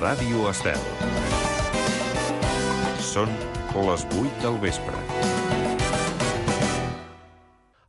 Ràdio Estel. Són les 8 del vespre.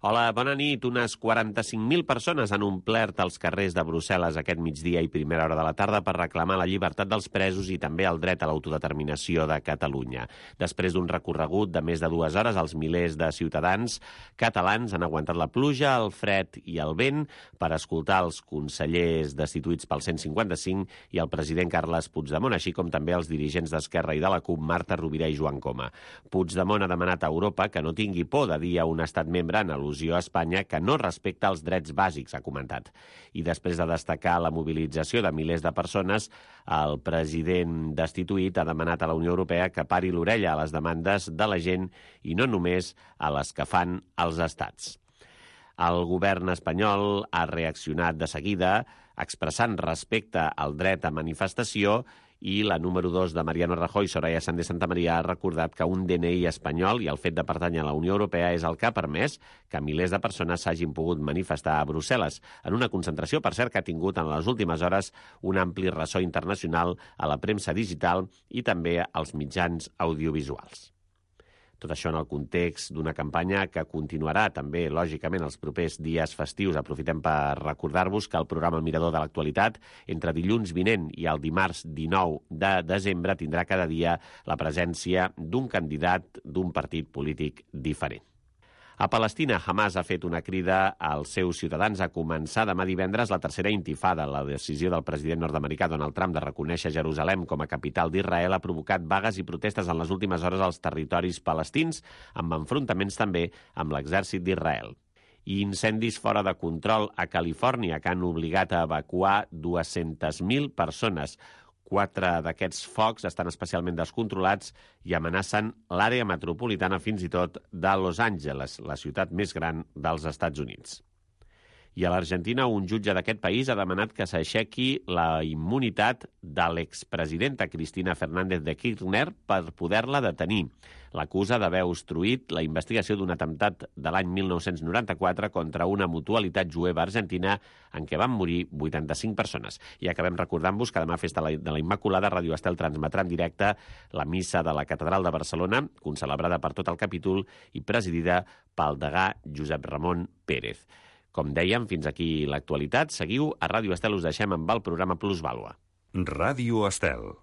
Hola, bona nit. Unes 45.000 persones han omplert els carrers de Brussel·les aquest migdia i primera hora de la tarda per reclamar la llibertat dels presos i també el dret a l'autodeterminació de Catalunya. Després d'un recorregut de més de 2 hores, els milers de ciutadans catalans han aguantat la pluja, el fred i el vent per escoltar els consellers destituïts pel 155 i el president Carles Puigdemont, així com també els dirigents d'Esquerra i de la CUP, Marta Rovira i Joan Coma. Puigdemont ha demanat a Europa que no tingui por de dir a un estat membre en al·lusió a Espanya que no respecta els drets bàsics, ha comentat. I després de destacar la mobilització de milers de persones, el president destituït ha demanat a la Unió Europea que pari l'orella a les demandes de la gent i no només a les que fan els estats. El govern espanyol ha reaccionat de seguida expressant respecte al dret a manifestació i la número 2 de Mariano Rajoy, Soraya Sáenz de Santamaría, ha recordat que un DNI espanyol i el fet de pertànyer a la Unió Europea és el que ha permès que milers de persones s'hagin pogut manifestar a Brussel·les, en una concentració, per cert, que ha tingut en les últimes hores un ampli ressò internacional a la premsa digital i també als mitjans audiovisuals. Tot això en el context d'una campanya que continuarà també, lògicament, els propers dies festius. Aprofitem per recordar-vos que el programa Mirador de l'Actualitat, entre dilluns vinent i el dimarts 19 de desembre, tindrà cada dia la presència d'un candidat d'un partit polític diferent. A Palestina, Hamas ha fet una crida als seus ciutadans a començar demà divendres la tercera intifada. La decisió del president nord-americà Donald Trump de reconèixer Jerusalem com a capital d'Israel ha provocat vagues i protestes en les últimes hores als territoris palestins, amb enfrontaments també amb l'exèrcit d'Israel. I incendis fora de control a Califòrnia que han obligat a evacuar 200.000 persones. 4 d'aquests focs estan especialment descontrolats i amenacen l'àrea metropolitana fins i tot de Los Angeles, la ciutat més gran dels Estats Units. I a l'Argentina, un jutge d'aquest país ha demanat que s'aixequi la immunitat de l'expresidenta Cristina Fernández de Kirchner per poder-la detenir. L'acusa d'haver obstruït la investigació d'un atemptat de l'any 1994 contra una mutualitat jueva argentina en què van morir 85 persones. I acabem recordant-vos que demà, festa de la Immaculada, Ràdio Estel transmetrà en directe la missa de la Catedral de Barcelona, concelebrada per tot el capítol i presidida pel degà Josep Ramon Pérez. Com dèiem, fins aquí l'actualitat. Seguiu a Ràdio Estel, us deixem amb el programa Plusvàlua. Ràdio Estel.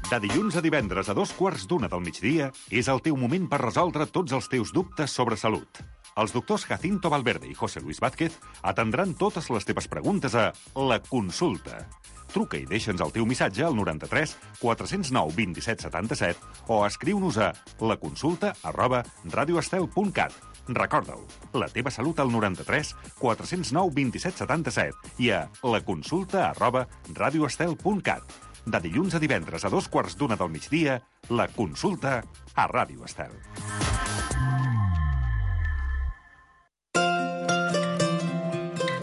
De dilluns a divendres a 2:15 del migdia és el teu moment per resoldre tots els teus dubtes sobre salut. Els doctors Jacinto Valverde i José Luis Vázquez atendran totes les teves preguntes a La Consulta. Truca i deixa'ns el teu missatge al 93 409 27 77 o escriu-nos a laconsulta@radioestel.cat. Recorda-ho, la teva salut al 93 409 27 77 i a laconsulta@radioestel.cat. De dilluns a divendres a 2:15 del migdia, La Consulta a Ràdio Estel.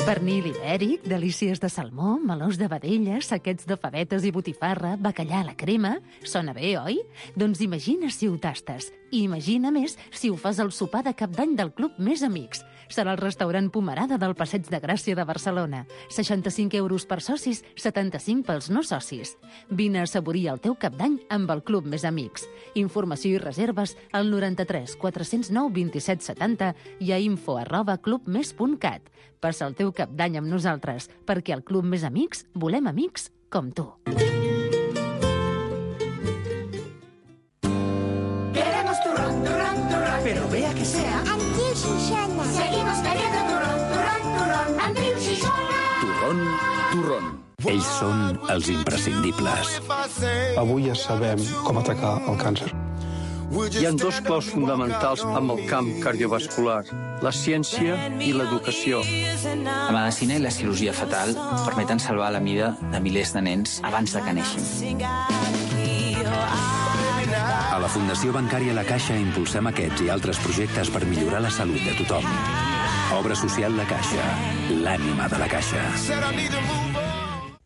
Pernil ibèric, delícies de salmó, melons de vedella, saquets de favetes i botifarra, bacallà a la crema... Sona bé, oi? Doncs imagina si ho tastes. I imagina més si ho fas al sopar de Cap d'Any del Club Més Amics. Serà el restaurant Pomerada del Passeig de Gràcia de Barcelona. 65 euros per socis, 75 pels no socis. Vine a assaborir el teu Cap d'Any amb el Club Més Amics. Informació i reserves al 93 409 27 70 i a info@clubmes.cat. Passa el teu Cap d'Any amb nosaltres, perquè al Club Més Amics volem amics com tu. Queremos turrón, turrón, turrón, pero vea que sea Andreu Xixona. Seguimos queriendo turrón, turrón, turrón, Andreu Xixona. Turrón, turrón. Ells són els imprescindibles. Avui ja sabem com atacar el càncer. Hi ha 2 claus fonamentals amb el camp cardiovascular, la ciència i l'educació. La medicina i la cirurgia fetal permeten salvar la vida de milers de nens abans de que neixin. A la Fundació Bancària La Caixa impulsem aquests i altres projectes per millorar la salut de tothom. Obra social La Caixa, l'ànima de la Caixa.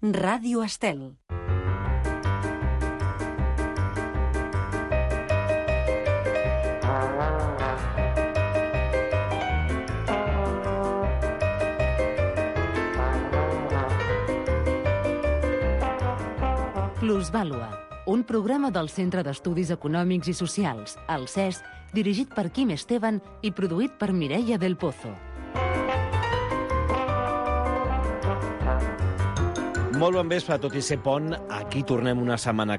Ràdio Estel. Plusvàlua, un programa del Centre d'Estudis Econòmics i Socials, el CES, dirigit per Quim Esteban i produït per Mireia del Pozo. Molt bon vespre, tot i ser pont. Aquí tornem una setmana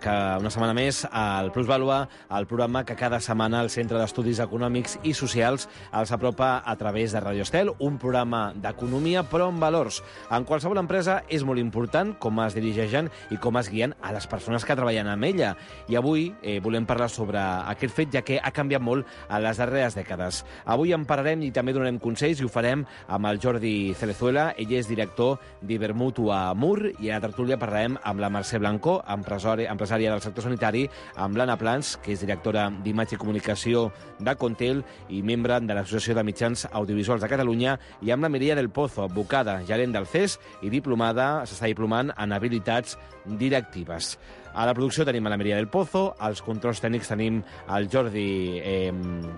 més al Plusvàlua, el programa que cada setmana el Centre d'Estudis Econòmics i Socials els apropa a través de Radio Estel, un programa d'economia però amb valors. En qualsevol empresa és molt important com es dirigeixen i com es guien a les persones que treballen amb ella. I avui volem parlar sobre aquest fet, ja que ha canviat molt en les darreres dècades. Avui en parlarem i també donarem consells i ho farem amb el Jordi Cerezuela. Ell és director d'Ibermutua Mur, i a la tertúlia parlarem amb la Mercè Blanco, empresària del sector sanitari, amb l'Anna Plans, que és directora d'imatge i comunicació de Contel i membre de l'Associació de Mitjans Audiovisuals de Catalunya, i amb la Mireia del Pozo, advocada, gerent del CES i s'està diplomant en habilitats directives. A la producció tenim a la Mireia del Pozo, als controls tècnics tenim el Jordi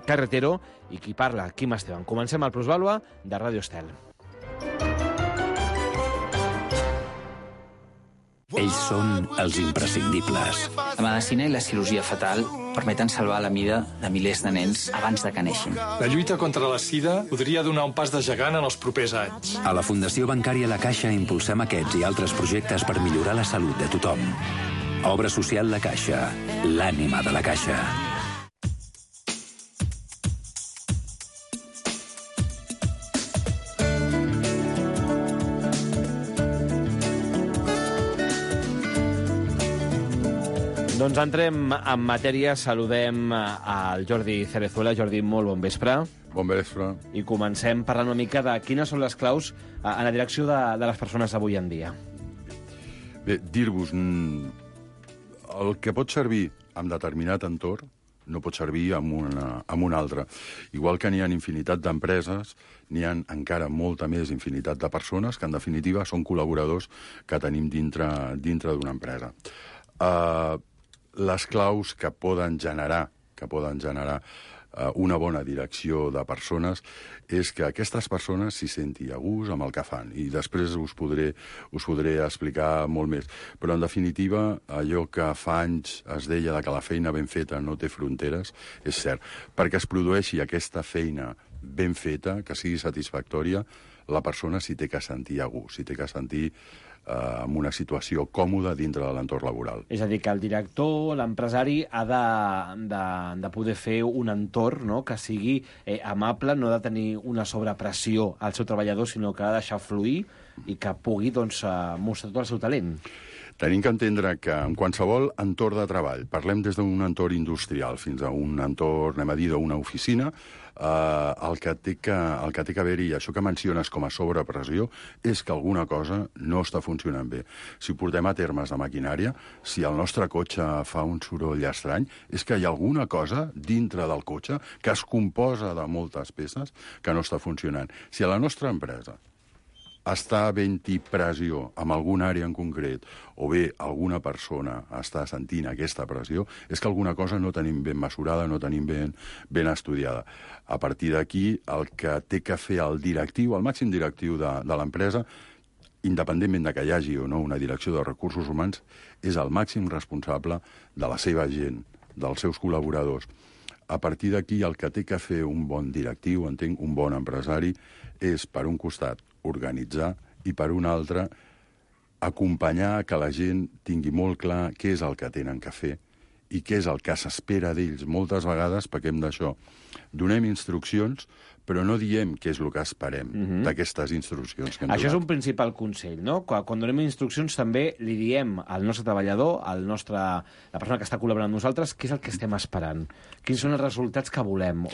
Carretero i qui parla, Quim Esteban. Comencem el Plusvàlua de Radio Estel. Ells són els imprescindibles. La medicina i la cirurgia fetal permeten salvar la vida de milers de nens abans de que neixin. La lluita contra la sida podria donar un pas de gegant en els propers anys. A la Fundació Bancària La Caixa impulsem aquests i altres projectes per millorar la salut de tothom. Obra social La Caixa, l'ànima de la Caixa. Doncs entrem en matèria, saludem al Jordi Cerezuela. Jordi, molt bon vespre. Bon vespre. I comencem parlant una mica de quines són les claus en la direcció de les persones avui en dia. Bé, dir-vos, el que pot servir en determinat entorn no pot servir en un altre. Igual que n'hi ha infinitat d'empreses, n'hi ha encara molta més infinitat de persones que, en definitiva, són col·laboradors que tenim dintre d'una empresa. Les claus que poden generar una bona direcció de persones és que aquestes persones s'hi senti a gust amb el que fan, i després us podré explicar molt més. Però, en definitiva, allò que fa anys es deia que la feina ben feta no té fronteres, és cert. Perquè es produeixi aquesta feina ben feta, que sigui satisfactòria, la persona s'hi té que sentir a gust, s'hi té que sentir en una situació còmoda dintre de l'entorn laboral. És a dir, que el director, l'empresari, ha de poder fer un entorn, no?, que sigui amable, no ha de tenir una sobrepressió al seu treballador, sinó que ha de deixar fluir i que pugui mostrar tot el seu talent. Tenim que entendre que en qualsevol entorn de treball, parlem des d'un entorn industrial fins a un entorn, anem a dir, d'una oficina, el que té que haver-hi, això que menciones com a sobrepressió, és que alguna cosa no està funcionant bé. Si ho portem a termes de maquinària, si el nostre cotxe fa un soroll estrany, és que hi ha alguna cosa dintre del cotxe que es composa de moltes peces que no està funcionant. Si a la nostra empresa està havent-hi pressió en alguna àrea en concret, o bé alguna persona està sentint aquesta pressió, és que alguna cosa no tenim ben mesurada, no tenim ben estudiada. A partir d'aquí, el que té que fer el directiu, el màxim directiu de l'empresa, independentment de que hi hagi o no una direcció de recursos humans, és el màxim responsable de la seva gent, dels seus col·laboradors. A partir d'aquí, el que té que fer un bon directiu, entenc, un bon empresari, és, per un costat, organitzar, i per un altre, acompanyar que la gent tingui molt clar què és el que tenen que fer i què és el que s'espera d'ells. Moltes vegades pequem d'això. Donem instruccions, però no diem què és el que esperem d'aquestes instruccions que hem donat. Això és un principal consell, no? Quan donem instruccions també li diem al nostre treballador, la persona que està col·laborant amb nosaltres, què és el que estem esperant, quins són els resultats que volem,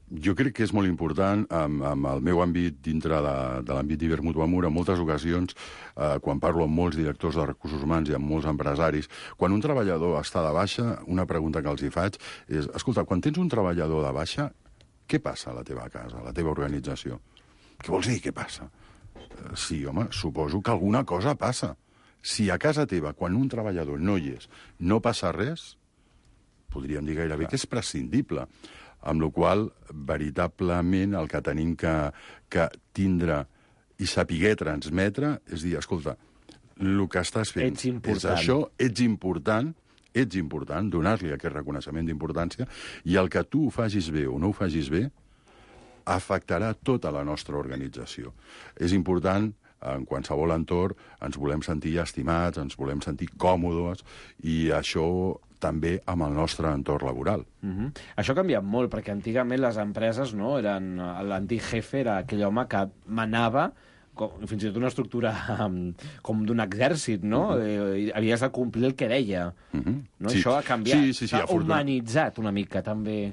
Jo crec que és molt important, amb el meu àmbit dintre de l'àmbit d'Ibermutua Mur, en moltes ocasions, quan parlo amb molts directors de recursos humans i amb molts empresaris, quan un treballador està de baixa, una pregunta que els hi faig és, escolta, quan tens un treballador de baixa, què passa a la teva casa, a la teva organització? Què vols dir, què passa? Sí, home, suposo que alguna cosa passa. Si a casa teva, quan un treballador no hi és, no passa res, podríem dir gairebé que és prescindible. Amb la qual cosa, veritablement, el que tenim que tindre i saber transmetre és dir, escolta, el que estàs fent Ets important. és això, ets important, donar-li aquest reconeixement d'importància, i el que tu ho facis bé o no ho facis bé afectarà tota la nostra organització. És important, en qualsevol entorn, ens volem sentir estimats, ens volem sentir còmodes, i això també amb el nostre entorn laboral. Això ha canviat molt, perquè antigament les empreses, no, l'antic jefe era aquell home que manava, fins i tot una estructura com d'un exèrcit, no? Havies de complir el que deia. No? Sí. Això ha canviat. Sí, S'ha humanitzat una mica, també.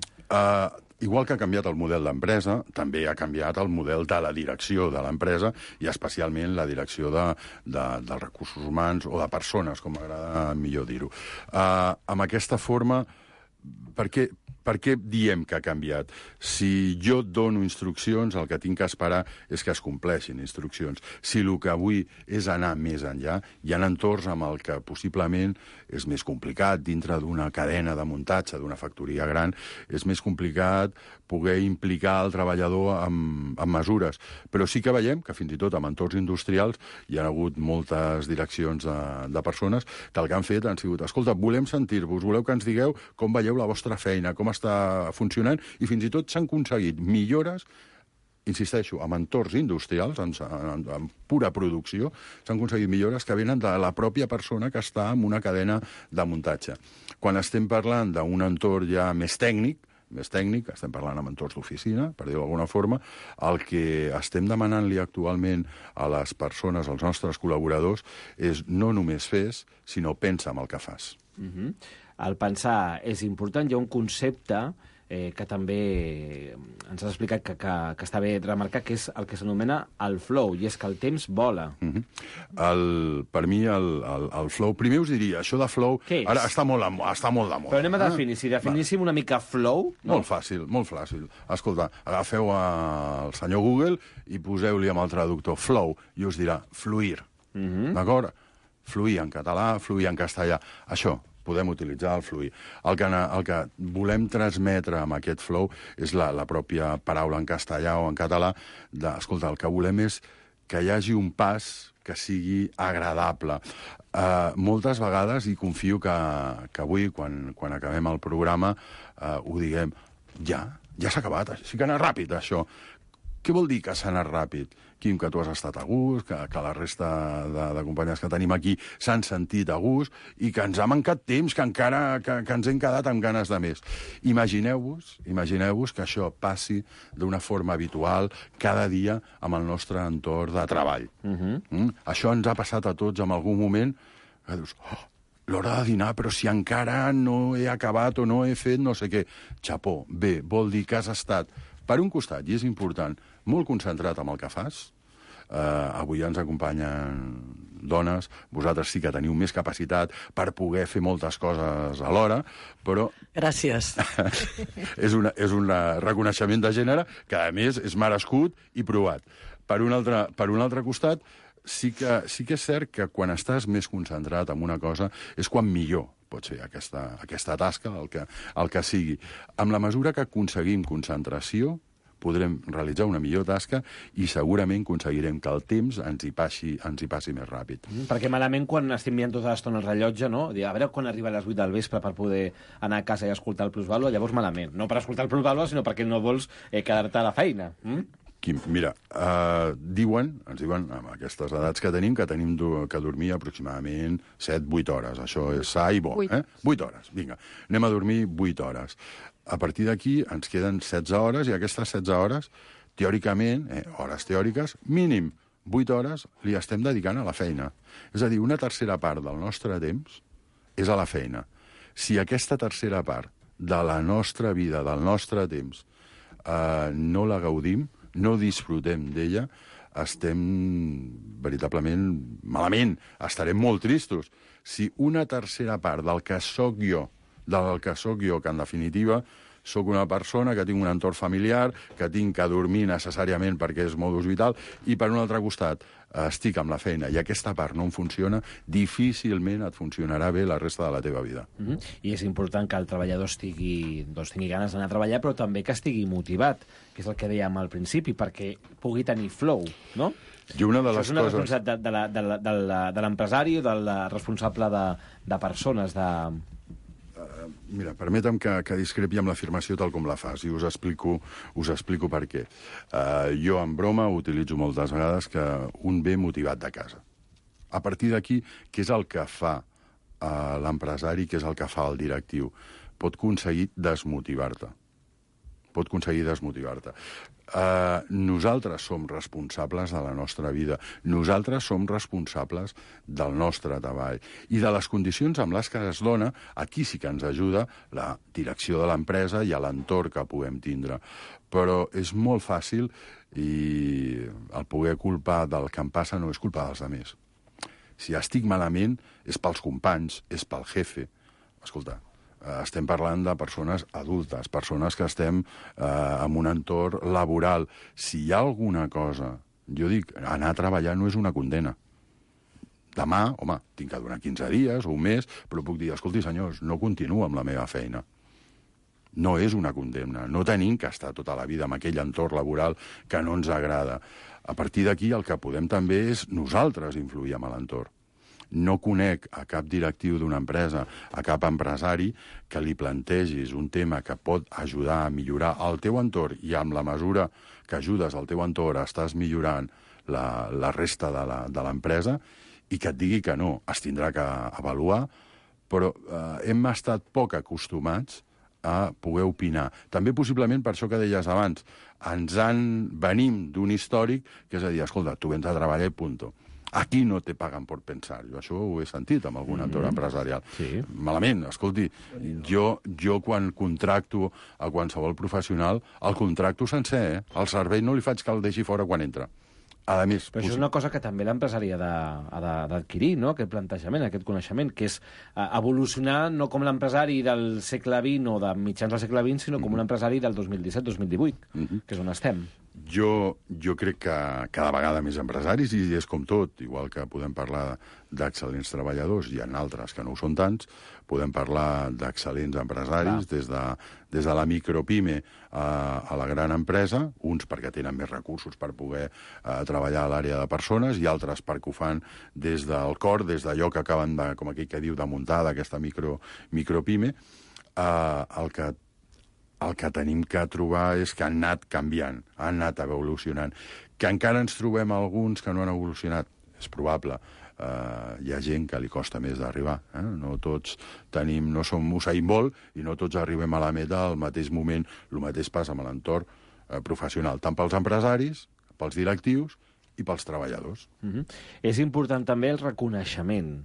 Igual que ha canviat el model d'empresa, també ha canviat el model de la direcció de l'empresa, i especialment la direcció dels recursos humans o de persones, com m'agrada millor dir-ho. Amb aquesta forma, per què diem que ha canviat? Si jo et dono instruccions, el que tinc que esperar és que es compleixin instruccions. Si el que avui és anar més enllà, hi ha entorns amb el que possiblement és més complicat, dintre d'una cadena de muntatge, d'una factoria gran, és més complicat poder implicar el treballador amb mesures. Però sí que veiem que fins i tot en entorns industrials hi ha hagut moltes direccions de persones que el que han fet han sigut: escolta, volem sentir-vos, voleu que ens digueu com veieu la vostra feina, com està funcionant, i fins i tot s'han aconseguit millores, insisteixo, en entorns industrials, en pura producció, s'han aconseguit millores que venen de la pròpia persona que està en una cadena de muntatge. Quan estem parlant d'un entorn ja més tècnic, estem parlant en entorns d'oficina, per dir-ho d'alguna forma, el que estem demanant-li actualment a les persones, als nostres col·laboradors, és no només fes, sinó pensa en el que fas. El pensar és important. Hi ha un concepte que també ens has explicat que està bé remarcar, que és el que s'anomena el flow, i és que el temps vola. Per mi, el flow... Primer us diria, això de flow... Ara està molt de moda. Però anem a definir. Si definíssim una mica flow... Molt fàcil. Escolta, agafeu el senyor Google i poseu-li amb el traductor flow, i us dirà fluir. D'acord? Fluir en català, fluir en castellà. Això, podem utilitzar el fluir. El que volem transmetre amb aquest flow és la pròpia paraula en castellà o en català. Escolta, el que volem és que hi hagi un pas que sigui agradable. Moltes vegades, i confio que avui, quan acabem el programa, ho diguem: ja s'ha acabat, sí que ha anat ràpid, això. Què vol dir que s'ha anat ràpid? Quim, que tu has estat a gust, que la resta de companys que tenim aquí s'han sentit a gust, i que ens ha mancat temps, que encara que ens hem quedat amb ganes de més. Imagineu-vos que això passi d'una forma habitual cada dia amb el nostre entorn de treball. Això ens ha passat a tots en algun moment, que dius: l'hora de dinar, però si encara no he acabat o no he fet no sé què. Xapó, bé, vol dir que has estat, per un costat, i és important, molt concentrat en el que fas. Avui ens acompanyen dones, vosaltres sí que teniu més capacitat per poder fer moltes coses alhora, però... Gràcies. és un reconeixement de gènere que, a més, és merescut i provat. Per un altre costat, sí que és cert que quan estàs més concentrat en una cosa és quan millor pot ser aquesta tasca, el que sigui. Amb la mesura que aconseguim concentració, podrem realitzar una millor tasca i segurament aconseguirem que el temps ens hi passi més ràpid. Perquè malament quan estem mirant tota l'estona el rellotge, no? A veure quan arriba a les 8 del vespre per poder anar a casa i escoltar el Plusvàlua, llavors malament. No per escoltar el Plusvàlua, sinó perquè no vols quedar-te a la feina. Quim, mira, ens diuen, amb aquestes edats que tenim que dormir aproximadament 7-8 hores. Això és sa i bo. 8 hores, vinga. Anem a dormir 8 hores. A partir d'aquí ens queden 16 hores, i aquestes 16 hores, teòricament, hores teòriques, mínim 8 hores li estem dedicant a la feina. És a dir, una tercera part del nostre temps és a la feina. Si aquesta tercera part de la nostra vida, del nostre temps, no la gaudim, no disfrutem d'ella, estem veritablement malament, estarem molt tristos. Si una tercera part del que sóc jo, que en definitiva sóc una persona que tinc un entorn familiar, que tinc que dormir necessàriament perquè és modus vital, i per un altre costat estic amb la feina i aquesta part no em funciona, difícilment et funcionarà bé la resta de la teva vida. I és important que el treballador tingui ganes d'anar a treballar, però també que estigui motivat, que és el que dèiem al principi, perquè pugui tenir flow, no? I una de les Això és una coses... responsabilitat de l'empresari o del responsable de persones, de... Mira, permetem que discrepi amb l'afirmació tal com la fas, i us explico per què. Jo, en broma, utilitzo moltes vegades que un ve motivat de casa. A partir d'aquí, què és el que fa l'empresari, què és el que fa el directiu? Pot aconseguir desmotivar-te. Nosaltres som responsables de la nostra vida. Nosaltres som responsables del nostre treball. I de les condicions amb les que es dona, aquí sí que ens ajuda la direcció de l'empresa i l'entorn que puguem tindre. Però és molt fàcil i el poder culpar del que em passa no és culpa dels altres. Si estic malament és pels companys, és pel jefe. Escolta, estem parlant de persones adultes, persones que estem en un entorn laboral. Si hi ha alguna cosa, jo dic, anar a treballar no és una condena. Demà, home, tinc que donar 15 dies o un mes, però puc dir, escolti, senyors, no continuo amb la meva feina. No és una condemna. No tenim que estar tota la vida en aquell entorn laboral que no ens agrada. A partir d'aquí el que podem també és nosaltres influir en l'entorn. No conec a cap directiu d'una empresa, a cap empresari, que li plantegis un tema que pot ajudar a millorar el teu entorn i amb la mesura que ajudes al teu entorn estàs millorant la resta de l'empresa i que et digui que no. Es tindrà que avaluar, però hem estat poc acostumats a poder opinar. També possiblement per això que deies abans, venim d'un històric que és a dir, escolta, tu vens a treballar i punto. Aquí no te paguen per pensar. Jo això ho he sentit en algun entorn empresarial. Sí. Malament, escolti, jo quan contracto a qualsevol professional, el contracto sencer, El servei no li faig que el deixi fora quan entra. A més, però això és una cosa que també l'empresari ha d'adquirir, no?, aquest plantejament, aquest coneixement, que és evolucionar no com l'empresari del segle XX o de mitjans del segle XX, sinó com un empresari del 2017-2018, que és on estem. Jo crec que cada vegada més empresaris, i és com tot, igual que podem parlar d'excel·lents treballadors, hi ha altres que no ho són tants, podem parlar d'excel·lents empresaris, des de la micropime a la gran empresa, uns perquè tenen més recursos per poder treballar a l'àrea de persones, i altres perquè ho fan des del cor, des d'allò que acaben de, com aquell que diu, de muntar d'aquesta micropime. El que tenim que trobar és que han anat canviant, han anat evolucionant. Que encara ens trobem alguns que no han evolucionat, és probable. Hi ha gent que li costa més d'arribar. No tots no som Usain Bolt i no tots arribem a la meta al mateix moment. El mateix passa amb l'entorn professional, tant pels empresaris, pels directius i pels treballadors. És important també el reconeixement.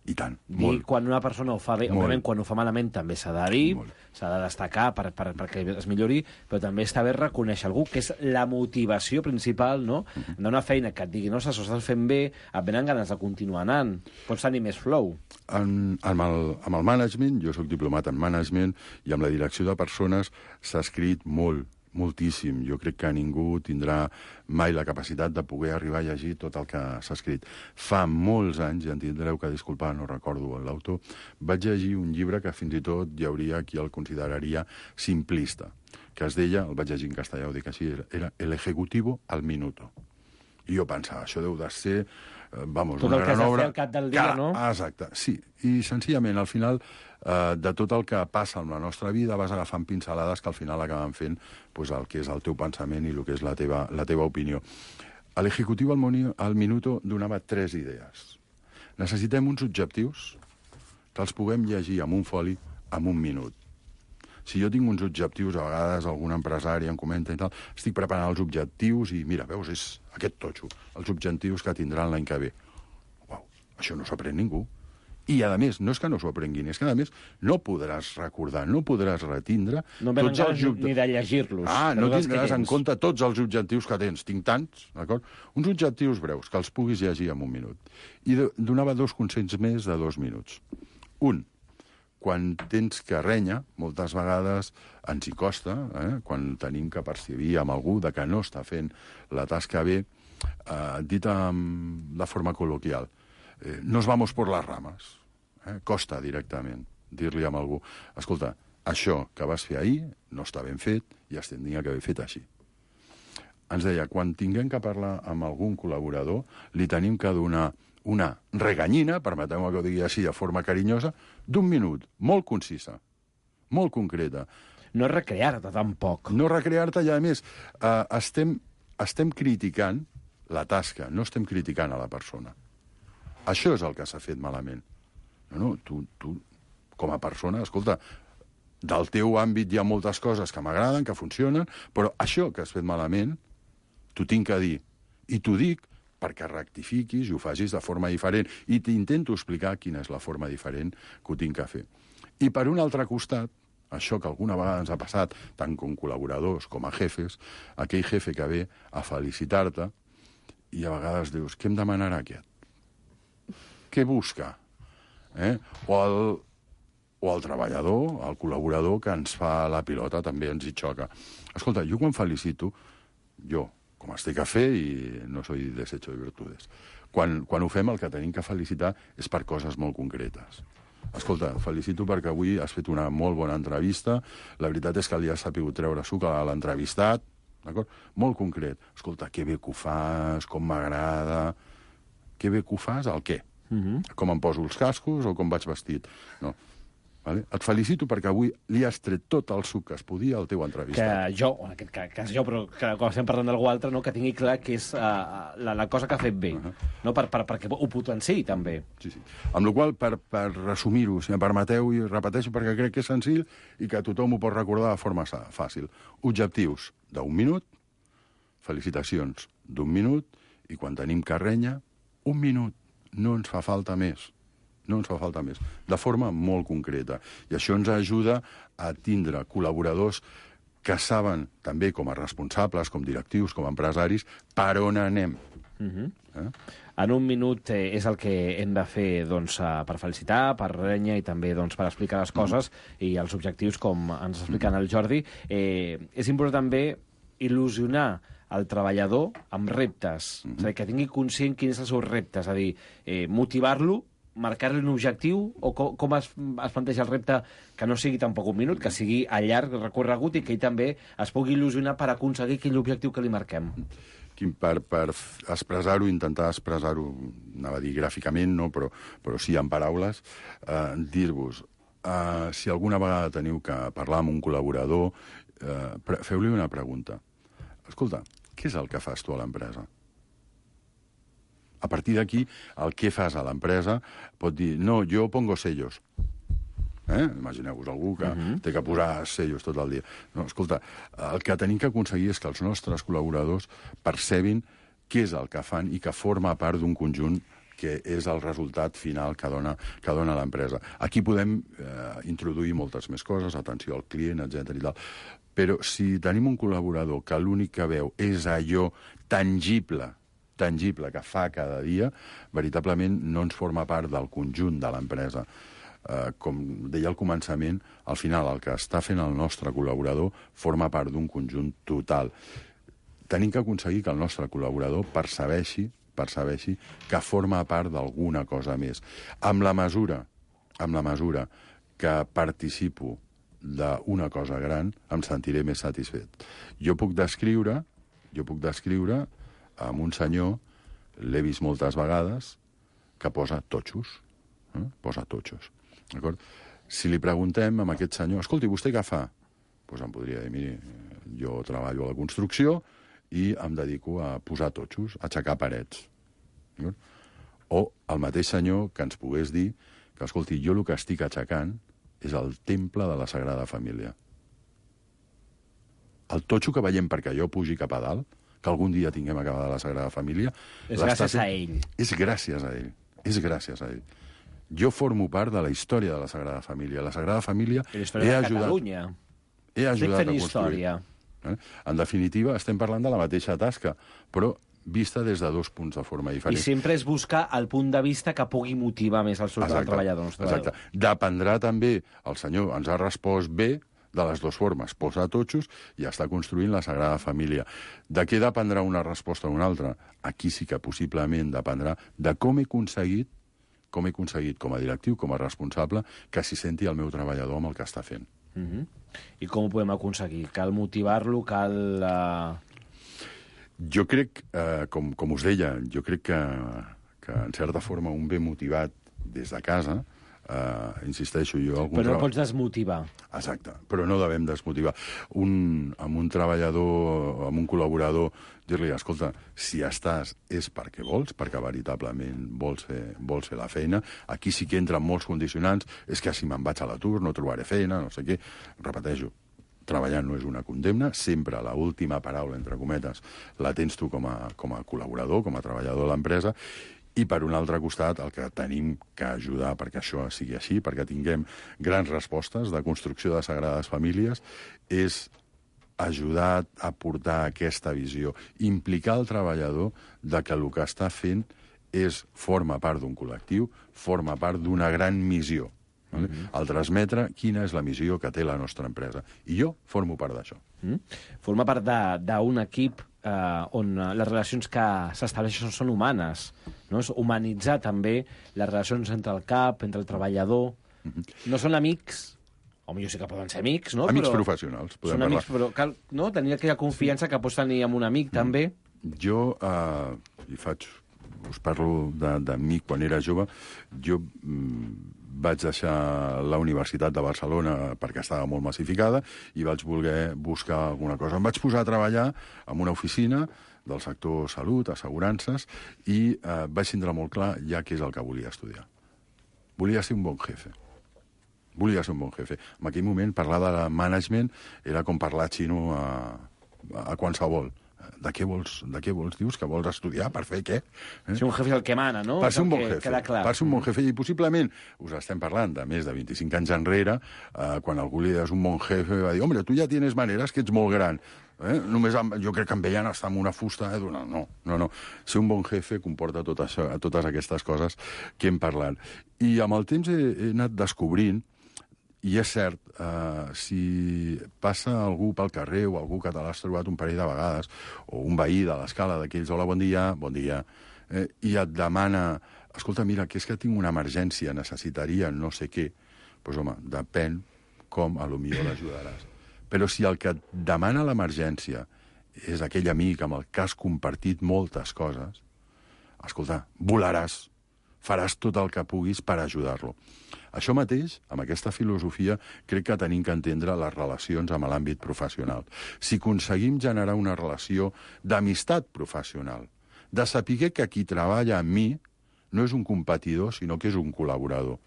I tant, molt. Quan una persona ho fa bé, òbviament quan ho fa malament també s'ha de dir, s'ha de destacar perquè es millori, però també està bé reconèixer algú, que és la motivació principal, no?, d'una feina que et digui, no, s'ho estàs fent bé, et venen ganes de continuar anant, pots tenir més flow. Amb el management, jo soc diplomat en management, i amb la direcció de persones s'ha escrit moltíssim. Jo crec que ningú tindrà mai la capacitat de poder arribar a llegir tot el que s'ha escrit. Fa molts anys, i en tindreu que disculpar, no recordo l'autor, vaig llegir un llibre que fins i tot hi hauria qui el consideraria simplista, que es deia, el vaig llegir en castellà, ho dic així, era El ejecutivo al minuto. I jo pensava, això deu de ser tot el que has de fer al cap del dia, no? Exacte, sí. I senzillament, al final, de tot el que passa en la nostra vida vas agafant pincelades que al final acaben fent el que és el teu pensament i el que és la teva opinió. L'Ejecutivo al minuto donava 3 idees. Necessitem uns objectius que els puguem llegir en un foli en un minut. Si jo tinc uns objectius, a vegades algun empresari em comenta i tal, estic preparant els objectius i, mira, veus, és aquest totxo, els objectius que tindran l'any que ve. Uau, això no s'ho aprèn ningú. I, a més, no és que no s'ho aprenguin, és que, a més, no podràs recordar, no podràs retindre... No venen ganes ni de llegir-los. No tindràs en compte tots els objectius que tens. Tinc tants, d'acord? Uns objectius breus, que els puguis llegir en un minut. I donava 2 consells més de 2 minuts. Un, quan tens que renya, moltes vegades ens hi costa, quan tenim que percibir amb algú de que no està fent la tasca bé, dit de forma col·loquial, nos vamos por las ramas. Costa directament dir-li a algú, escolta, això que vas fer ahir no està ben fet i es tindria que haver fet així. ens deia, quan tinguem que parlar amb algun col·laborador, li tenim que donar una reganyina, permeteu-me que ho digui així de forma carinyosa, d'1 minut, molt concisa, molt concreta. No recrear-te tampoc. No recrear-te, i a més, estem criticant la tasca, no estem criticant a la persona. Això és el que s'ha fet malament. No, tu, com a persona, escolta, del teu àmbit hi ha moltes coses que m'agraden, que funcionen, però això que has fet malament, t'ho tinc que dir. I t'ho dic perquè rectifiquis i ho facis de forma diferent. I t'intento explicar quina és la forma diferent que ho tinc que fer. I per un altre costat, això que alguna vegada ens ha passat, tant com col·laboradors com a jefes, aquell jefe que ve a felicitar-te i a vegades dius, què em demanarà aquest? Què busca? O el treballador, el col·laborador que ens fa la pilota també ens hi xoca. Escolta, jo quan felicito, jo, com estic a fer i no soy desecho de virtudes, quan ho fem el que tenim que felicitar és per coses molt concretes. Escolta, felicito perquè avui has fet una molt bona entrevista, la veritat és que li has sapigut treure suc a l'entrevistat, d'acord? Molt concret. Escolta, que bé que ho fas, com m'agrada... Que bé que ho fas, el què? Com em poso els cascos o com vaig vestit? No. Vale? Et felicito perquè avui li has tret tot el suc que es podia al teu entrevistat. Que jo, en aquest cas jo, però que quan estem parlant d'algú altre, no, que tingui clar que és la cosa que ha fet bé, no? perquè ho potenciï també. Sí. Amb la qual cosa, per resumir-ho, si em permeteu, i repeteixo perquè crec que és senzill i que tothom ho pot recordar de forma fàcil. Objectius d'1 minut, felicitacions d'1 minut, i quan tenim carrenya, 1 minut. No ens fa falta més. No ens fa falta més. De forma molt concreta. I això ens ajuda a tindre col·laboradors que saben, també com a responsables, com directius, com a empresaris, per on anem. En 1 minut és el que hem de fer doncs, per felicitar, per renya i també doncs, per explicar les coses i els objectius, com ens explica el Jordi. És important també il·lusionar el treballador amb reptes, és a dir, que tingui conscient quins són els seus reptes, és a dir, motivar-lo, marcar-li un objectiu, o com es planteja el repte que no sigui tampoc 1 minut, que sigui a llarg recorregut i que ell també es pugui il·lusionar per aconseguir aquell objectiu que li marquem. Per expressar-ho, intentar expressar-ho, anava a dir gràficament, no, però sí en paraules, dir-vos, si alguna vegada teniu que parlar amb un col·laborador, feu-li una pregunta. Escolta, què és el que fas tu a l'empresa? A partir d'aquí, el que fas a l'empresa pot dir, no, jo pongo sellos. Imagineu-vos algú que té que posar sellos tot el dia. No, escolta, el que tenim que aconseguir és que els nostres col·laboradors percebin què és el que fan i que forma part d'un conjunt que és el resultat final que dona l'empresa. Aquí podem introduir moltes més coses, atenció al client, etc. i tal. Però si tenim un col·laborador que l'únic que veu és allò tangible que fa cada dia, veritablement no ens forma part del conjunt de l'empresa. Com deia al començament, al final el que està fent el nostre col·laborador forma part d'un conjunt total. Tenim que aconseguir que el nostre col·laborador percebeixi que forma part d'alguna cosa més. Amb la mesura que participo d'una cosa gran, em sentiré més satisfet. Jo puc descriure amb un senyor, l'he vist moltes vegades, que posa totxos. Posa totxos. D'acord? Si li preguntem a aquest senyor, escolti, vostè què fa? Doncs em podria dir, miri, jo treballo a la construcció i em dedico a posar totxos, a aixecar parets. O el mateix senyor que ens pogués dir que, escolti, jo el que estic aixecant és el temple de la Sagrada Família. El totxo que veiem perquè jo pugi cap a dalt, que algun dia tinguem acabada la Sagrada Família... És gràcies a ell. És gràcies a ell. És gràcies a ell. Jo formo part de la història de la Sagrada Família. La Sagrada Família... I la història de Catalunya. He ajudat a construir. Història. En definitiva, estem parlant de la mateixa tasca, però vista des de 2 punts de forma diferent. I sempre és buscar el punt de vista que pugui motivar més el treballador. Exacte. Dependrà també, el senyor ens ha respost bé, de les 2 formes, posar totxos i està construint la Sagrada Família. De què dependrà una resposta o una altra? Aquí sí que possiblement dependrà de com he aconseguit com a directiu, com a responsable, que s'hi senti el meu treballador amb el que està fent. I com ho podem aconseguir? Cal motivar-lo? Cal... Jo crec, com us deia, jo crec que en certa forma un ve motivat des de casa, insisteixo jo... Però no pots desmotivar. Exacte, però no devem desmotivar. Amb un treballador, amb un col·laborador, dir-li, escolta, si estàs és perquè vols, perquè veritablement vols fer la feina. Aquí sí que entren molts condicionants, és que si me'n vaig a l'atur no trobaré feina, no sé què. Repeteixo, treballar no és una condemna, sempre l'última paraula, entre cometes, la tens tu com a col·laborador, com a treballador de l'empresa, i per un altre costat el que tenim que ajudar perquè això sigui així, perquè tinguem grans respostes de construcció de sagrades famílies, és ajudar a portar aquesta visió, implicar el treballador de que el que està fent forma part d'un col·lectiu, forma part d'una gran missió. El transmetre quina és la missió que té la nostra empresa. I jo formo part d'això. Forma part d'un equip on les relacions que s'estableixen són humanes. No? És humanitzar també les relacions entre el cap, entre el treballador. No són amics, o millor sí que poden ser amics, no? Amics professionals, podem són parlar. Amics, però cal tenir aquella confiança que pots tenir amb un amic, també. Jo, us parlo d'amic quan era jove, jo vaig deixar la Universitat de Barcelona perquè estava molt massificada i vaig voler buscar alguna cosa. Em vaig posar a treballar en una oficina del sector salut, assegurances, i vaig tindre molt clar ja què és el que volia estudiar. Volia ser un bon jefe. En aquell moment, parlar de management era com parlar xino a qualsevol. De què vols? Dius que vols estudiar? Per fer què? Ser un jefe és el que mana, no? Per ser un bon jefe. Per ser un bon jefe. I possiblement, us estem parlant de més de 25 anys enrere, quan algú li deies un bon jefe, va dir, hombre, tu ja tienes maneres que ets molt gran. Només jo crec que em veien estar amb una fusta. No. Ser un bon jefe comporta totes aquestes coses que hem parlat. I amb el temps he anat descobrint, i és cert, si passa algú pel carrer o algú que te l'has trobat un parell de vegades, o un veí de l'escala d'aquells, hola, bon dia, i et demana, escolta, mira, que és que tinc una emergència, necessitaria no sé què, doncs, home, depèn com a lo millor l'ajudaràs. Però si el que et demana l'emergència és aquell amic amb el que has compartit moltes coses, escolta, volaràs, faràs tot el que puguis per ajudar-lo. Això mateix, amb aquesta filosofia, crec que tenim que entendre les relacions amb l'àmbit professional. Si aconseguim generar una relació d'amistat professional, de saber que qui treballa amb mi no és un competidor, sinó que és un col·laborador.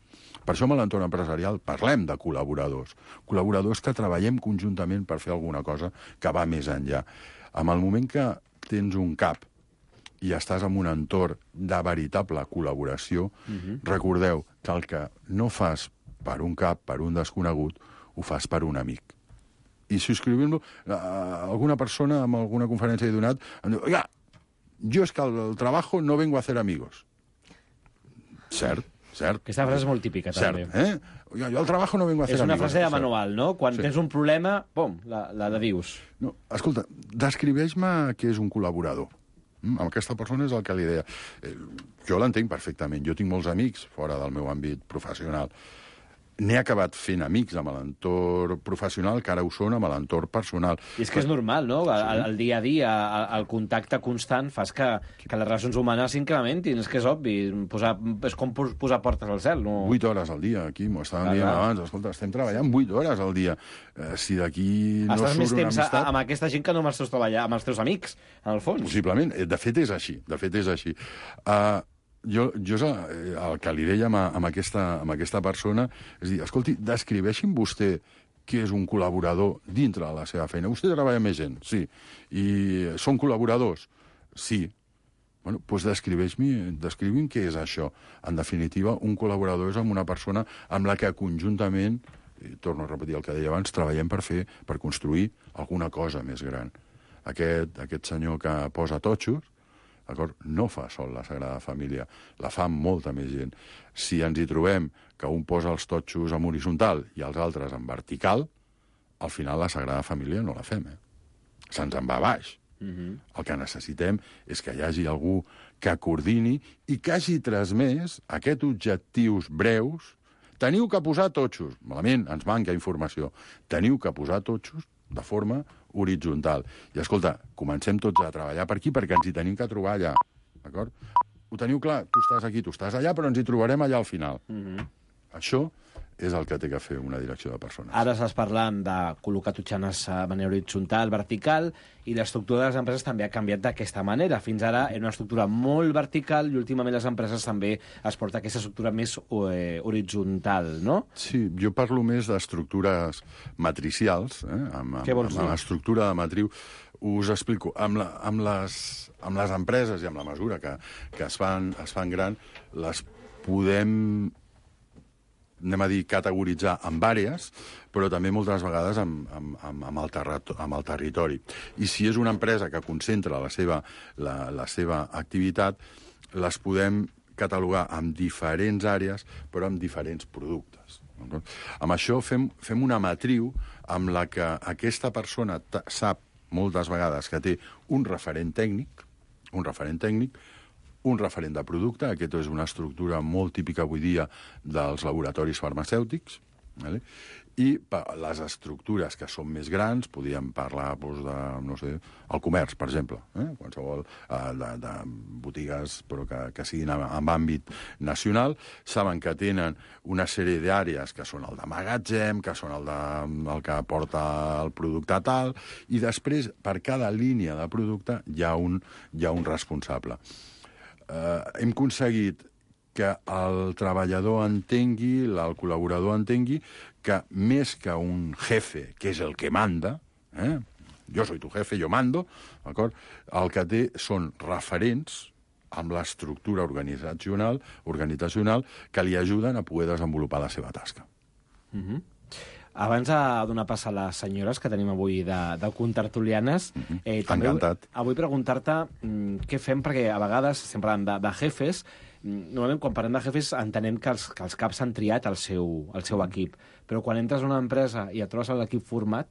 Per això, a l'entorn empresarial, parlem de col·laboradors. Col·laboradors que treballem conjuntament per fer alguna cosa que va més enllà. En el moment que tens un cap i estàs en un entorn de veritable col·laboració, recordeu que el que no fas per un cap, per un desconegut, ho fas per un amic. I subscrivint-lo, alguna persona en alguna conferència he donat, em diu, oiga, jo és que al trabajo no vengo a hacer amigos. Cert. Aquesta frase és molt típica, també. Jo al trabajo no vengo a hacer amigos. És una frase de manual, no? Quan tens un problema, pum, la dius. No, escolta, descriveix-me què és un col·laborador. Amb aquesta persona és el que li deia. Jo l'entenc perfectament. Jo tinc molts amics fora del meu àmbit professional. N'he acabat fent amics amb l'entorn professional, que ara ho són amb l'entorn personal. I és que és normal, no? El dia a dia, el contacte constant fas que les relacions humanes s'incrementin. És que és obvi. És com posar portes al cel. 8 hores al dia, aquí, m'ho estàvem dient abans. Escolta, estem treballant 8 hores al dia. Si d'aquí no surt una amistat... Estàs més temps amb aquesta gent que no amb els teus amics, en el fons. Possiblement. De fet, és així. Jo el que li deia amb aquesta persona és dir, escolti, descriveixi'm vostè què és un col·laborador dintre de la seva feina. Vostè treballa amb més gent, sí. I són col·laboradors? Sí. Bueno, doncs descrivi'm què és això. En definitiva, un col·laborador és amb una persona amb la que conjuntament, i torno a repetir el que deia abans, treballem per construir alguna cosa més gran. Aquest senyor que posa totxos, no fa sol la Sagrada Família, la fa molta més gent. Si ens hi trobem que un posa els totxos en horitzontal i els altres en vertical, al final la Sagrada Família no la fem. Se'ns en va a baix. El que necessitem és que hi hagi algú que coordini i que hagi transmès aquests objectius breus. Teniu que posar totxos. Malament, ens manca informació. Teniu que posar totxos, de forma horitzontal. I, escolta, comencem tots a treballar per aquí perquè ens hi tenim que trobar allà. D'acord? Ho teniu clar? Tu estàs aquí, tu estàs allà, però ens hi trobarem allà al final. Això és el que té que fer una direcció de persones. Ara estàs parlant de col·locar totxanes de manera horitzontal, vertical, i l'estructura de les empreses també ha canviat d'aquesta manera. Fins ara era una estructura molt vertical i últimament les empreses també es porta aquesta estructura més horitzontal, no? Sí, jo parlo més d'estructures matricials, Què vols dir? Amb l'estructura de matriu. Us explico. Amb les empreses i amb la mesura que es fan gran, les podem categoritzar en vàries, però també moltes vegades amb el territori. I si és una empresa que concentra la seva activitat, les podem catalogar amb diferents àrees, però amb diferents productes. Amb això fem una matriu amb la que aquesta persona sap moltes vegades que té un referent tècnic, un referent de producte. Aquesta és una estructura molt típica avui dia dels laboratoris farmacèutics, i les estructures que són més grans, podríem parlar de, no sé, el comerç, per exemple, qualsevol de botigues però que siguin en àmbit nacional, saben que tenen una sèrie d'àrees que són el de magatzem, que són el que porta el producte tal, i després, per cada línia de producte, hi ha un responsable. Hem aconseguit que el treballador entengui, el col·laborador entengui, que més que un jefe, que és el que manda, jo soy tu jefe, jo mando, d'acord? El que té són referents amb l'estructura organitzacional que li ajuden a poder desenvolupar la seva tasca. Abans de donar pas a les senyores que tenim avui de contertulianes, encantat. Avui preguntar-te què fem, perquè a vegades, sempre parlant de jefes, normalment quan parlem de jefes entenem que els caps han triat el seu equip, però quan entres a una empresa i et trobes l'equip format,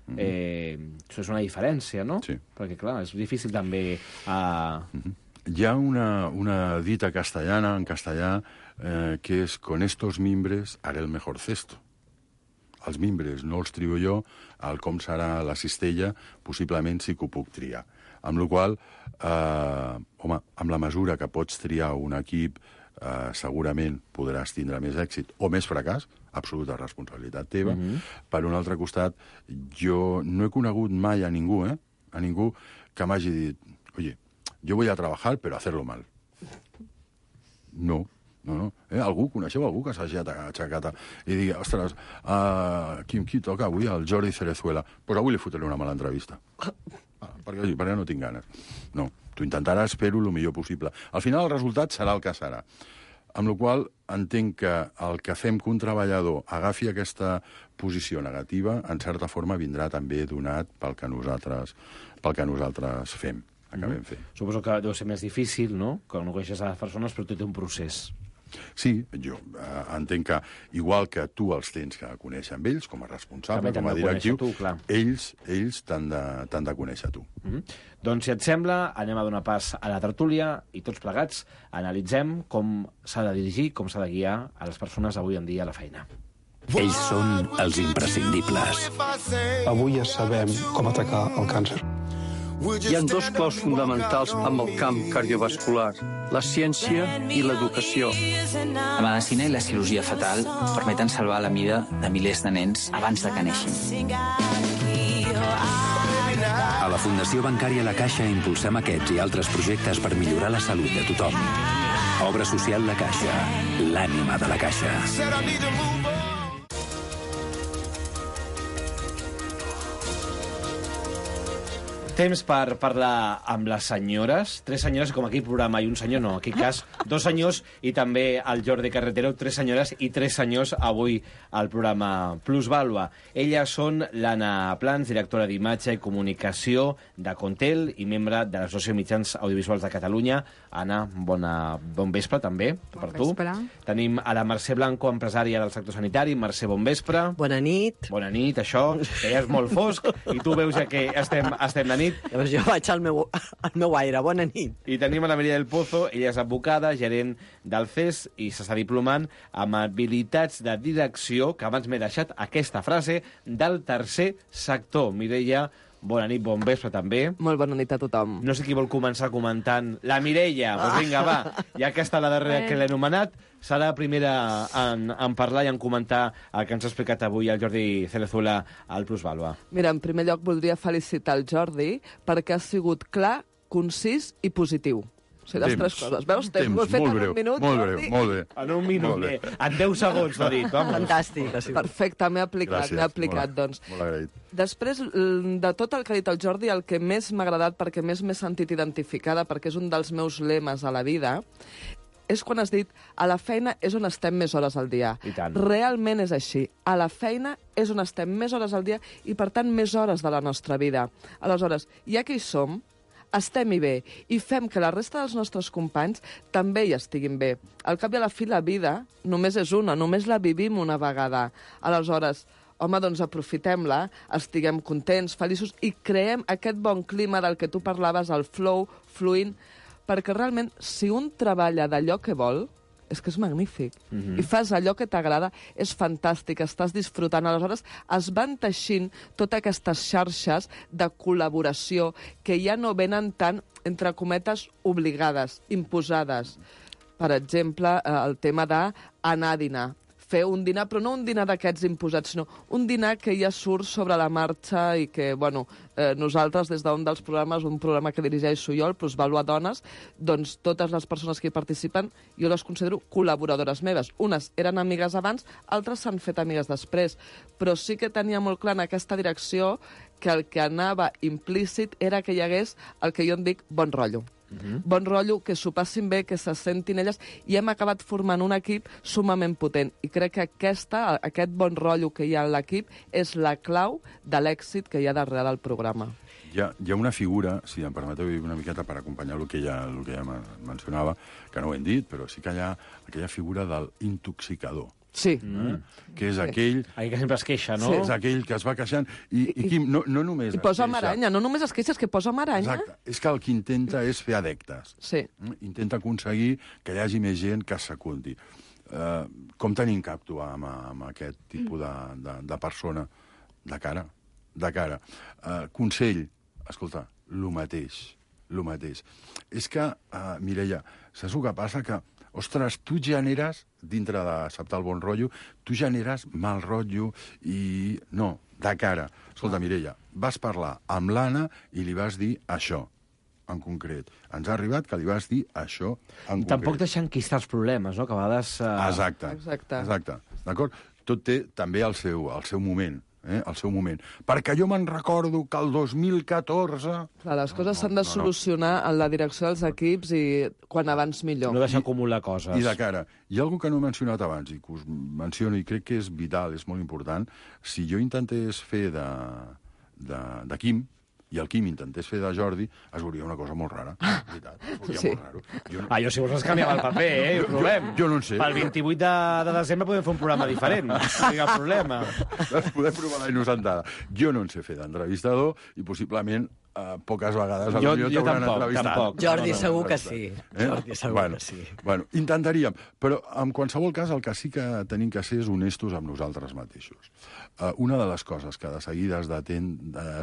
això és una diferència, no? Sí. Perquè, clar, és difícil també... Hi ha una dita castellana, en castellà, que és con estos mimbres haré el mejor cesto. Els mimbres no els trio jo, el com serà la cistella, possiblement sí que ho puc triar. Amb la qual cosa, amb la mesura que pots triar un equip, segurament podràs tindre més èxit o més fracàs, absoluta responsabilitat teva. Per un altre costat, jo no he conegut mai a ningú que m'hagi dit, oye, yo voy a trabajar, pero hacerlo mal. No. Coneixeu algú que s'hagi aixecat i digui, ostres, qui toca avui? El Jordi Cerezuela. Doncs avui li fotré una mala entrevista. Perquè no tinc ganes. No, tu intentaràs fer-ho el millor possible. Al final el resultat serà el que serà. Amb la qual cosa entenc que el que fem que un treballador agafi aquesta posició negativa, en certa forma vindrà també donat pel que nosaltres fem. Suposo que deu ser més difícil, no?, que no coneixes a les persones, però tot té un procés. Sí, jo entenc que, igual que tu els tens que conèixer amb ells, com a responsable, com a directiu, ells t'han de conèixer tu. Doncs, si et sembla, anem a donar pas a la tertúlia i tots plegats analitzem com s'ha de dirigir, com s'ha de guiar a les persones avui en dia a la feina. Ells són els imprescindibles. Avui ja sabem com atacar el càncer. Hi ha dos claus fonamentals amb el camp cardiovascular, la ciència i l'educació. La medicina i la cirurgia fetal permeten salvar la vida de milers de nens abans de que neixin. A la Fundació Bancària La Caixa impulsem aquests i altres projectes per millorar la salut de tothom. Obra social La Caixa, l'ànima de la Caixa. Temps per parlar amb les senyores. 3 senyores, com aquí programa, i un senyor no. En aquest cas, 2 senyors i també el Jordi Carretero. 3 senyores i 3 senyors avui al programa Plusvàlua. Elles són l'Anna Plans, directora d'imatge i comunicació de Contel i membre de l'Associació de Mitjans Audiovisuals de Catalunya. Anna, bon vespre també per tu. Tenim a la Mercè Blanco, empresària del sector sanitari. Mercè, bon vespre. Bona nit. Bona nit, això, que ja és molt fosc, i tu veus ja que estem de nit. nit. Llavors jo vaig al meu aire. Bona nit. I tenim a la Mireia del Pozo, ella és advocada, gerent del CES i s'està diplomant amb habilitats de direcció, que abans m'he deixat aquesta frase, del tercer sector. Mireia, bona nit, bon vespre també. Molt bona nit a tothom. No sé qui vol començar comentant. La Mireia, doncs vinga, va. Ja que està la darrera que l'he anomenat, serà la primera en parlar i en comentar el que ens ha explicat avui el Jordi Cerezuela al Plusvàlua. Mira, en primer lloc voldria felicitar el Jordi perquè ha sigut clar, concís i positiu. O sigui, les tres coses. Veus? Temps. Ho he fet en un minut, Jordi. Molt bé. En un minut, en 10 segons, l'ha dit. Fantàstic. Perfecte, m'he aplicat, doncs. Molt agraït. Després, de tot el que ha dit el Jordi, el que més m'ha agradat, perquè més m'he sentit identificada, perquè és un dels meus lemes a la vida, és quan has dit a la feina és on estem més hores al dia. I tant. Realment és així. A la feina és on estem més hores al dia i, per tant, més hores de la nostra vida. Aleshores, ja que hi som, estem-hi bé i fem que la resta dels nostres companys també hi estiguin bé. Al cap i a la fi, la vida només és una, només la vivim una vegada. Aleshores, home, doncs aprofitem-la, estiguem contents, feliços i creem aquest bon clima del que tu parlaves, el flow, fluint, perquè realment, si un treballa d'allò que vol, és que és magnífic. I fas allò que t'agrada, és fantàstic, estàs disfrutant. Aleshores, es van teixint totes aquestes xarxes de col·laboració que ja no venen tan, entre cometes, obligades, imposades. Per exemple, el tema d'anar a dinar. Fer un dinar, però no un dinar d'aquests imposats, sinó un dinar que ja surt sobre la marxa i que, bueno, nosaltres, des d'un dels programes, un programa que dirigeixo jo, el Plusvàlua Dones, doncs totes les persones que hi participen, jo les considero col·laboradores meves. Unes eren amigues abans, altres s'han fet amigues després, però sí que tenia molt clar en aquesta direcció que el que anava implícit era que hi hagués el que jo en dic bon rotllo. Bon rotllo, que s'ho passin bé, que se sentin elles, i hem acabat formant un equip sumament potent. I crec que aquest bon rotllo que hi ha en l'equip és la clau de l'èxit que hi ha darrere del programa. Hi ha una figura, si em permeteu una miqueta per acompanyar el que ja mencionava, que no ho hem dit, però sí que hi ha aquella figura del intoxicador. Sí. Que és aquell... Aquell que sempre es queixa, no? Sí. És aquell que es va queixant. I Quim, no només... I posa maranya, no només es queixa, és que posa maranya. Exacte. És que el que intenta és fer adeptes. Sí. Intenta aconseguir que hi hagi més gent que s'acundi. Com tenim que actuar amb aquest tipus de persona? De cara. Consell, escolta, lo mateix. És que, Mireia, saps el que passa? Que ostres, tu generes, dintre d'acceptar el bon rotllo, tu generes mal rotllo i... No, de cara. Escolta, Mireia, vas parlar amb l'Anna i li vas dir això, en concret. Ens ha arribat que li vas dir això, en concret. Tampoc deixar enquistar els problemes, no? Que a vegades... Exacte. D'acord? Tot té també el seu moment. El seu moment. Perquè jo me'n recordo que el 2014... Clar, les coses s'han de solucionar en la direcció dels equips i quan abans millor. No deixar acumular coses. I de cara. Hi ha alguna que no he mencionat abans i que us menciono i crec que és vital, és molt important. Si jo intentés fer de Quim, i el Quim intentés fer de Jordi, es veuria una cosa molt rara. Veritat, molt raro. Jo si vols canviava el paper, ho provem. Jo no en sé. Pel 28 de desembre podem fer un programa diferent. No hi ha problema. Podem provar la innocentada. Jo no en sé fer d'entrevistador i possiblement poques vegades jo t'hauran entrevistat. Tampoc. Jordi segur que sí. Jordi segur que sí. Bueno, intentaríem, però en qualsevol cas el que sí que tenim que ser és honestos amb nosaltres mateixos. Una de les coses que de seguida es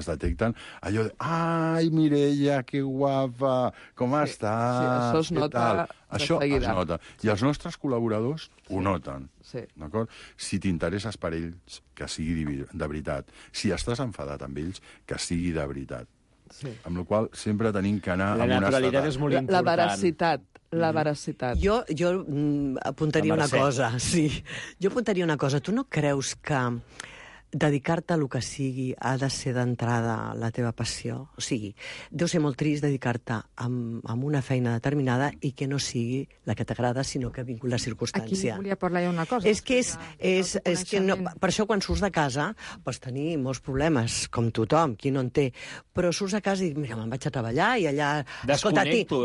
detecten, allò de ai, Mireia, que guapa, com estàs? Sí, això es nota de això seguida. Es nota. I els nostres col·laboradors ho noten. Sí. D'acord? Si t'interesses per ells, que sigui de veritat. Si estàs enfadat amb ells, que sigui de veritat. Sí. Amb la qual cosa sempre tenim que anar... La naturalitat és molt important. La veracitat. Jo apuntaria una cosa, sí. Jo apuntaria una cosa. Tu no creus que dedicar-te a lo que sigui ha de ser d'entrada la teva passió? O sigui, deu ser molt trist dedicar-te a una feina determinada i que no sigui la que t'agrada, sinó que vingui la circumstància. Aquí volia parlar jo una cosa. És que no, per això quan surts de casa pots tenir molts problemes, com tothom, qui no en té, però surts de casa i mira, me'n vaig a treballar i allà... Desconnecto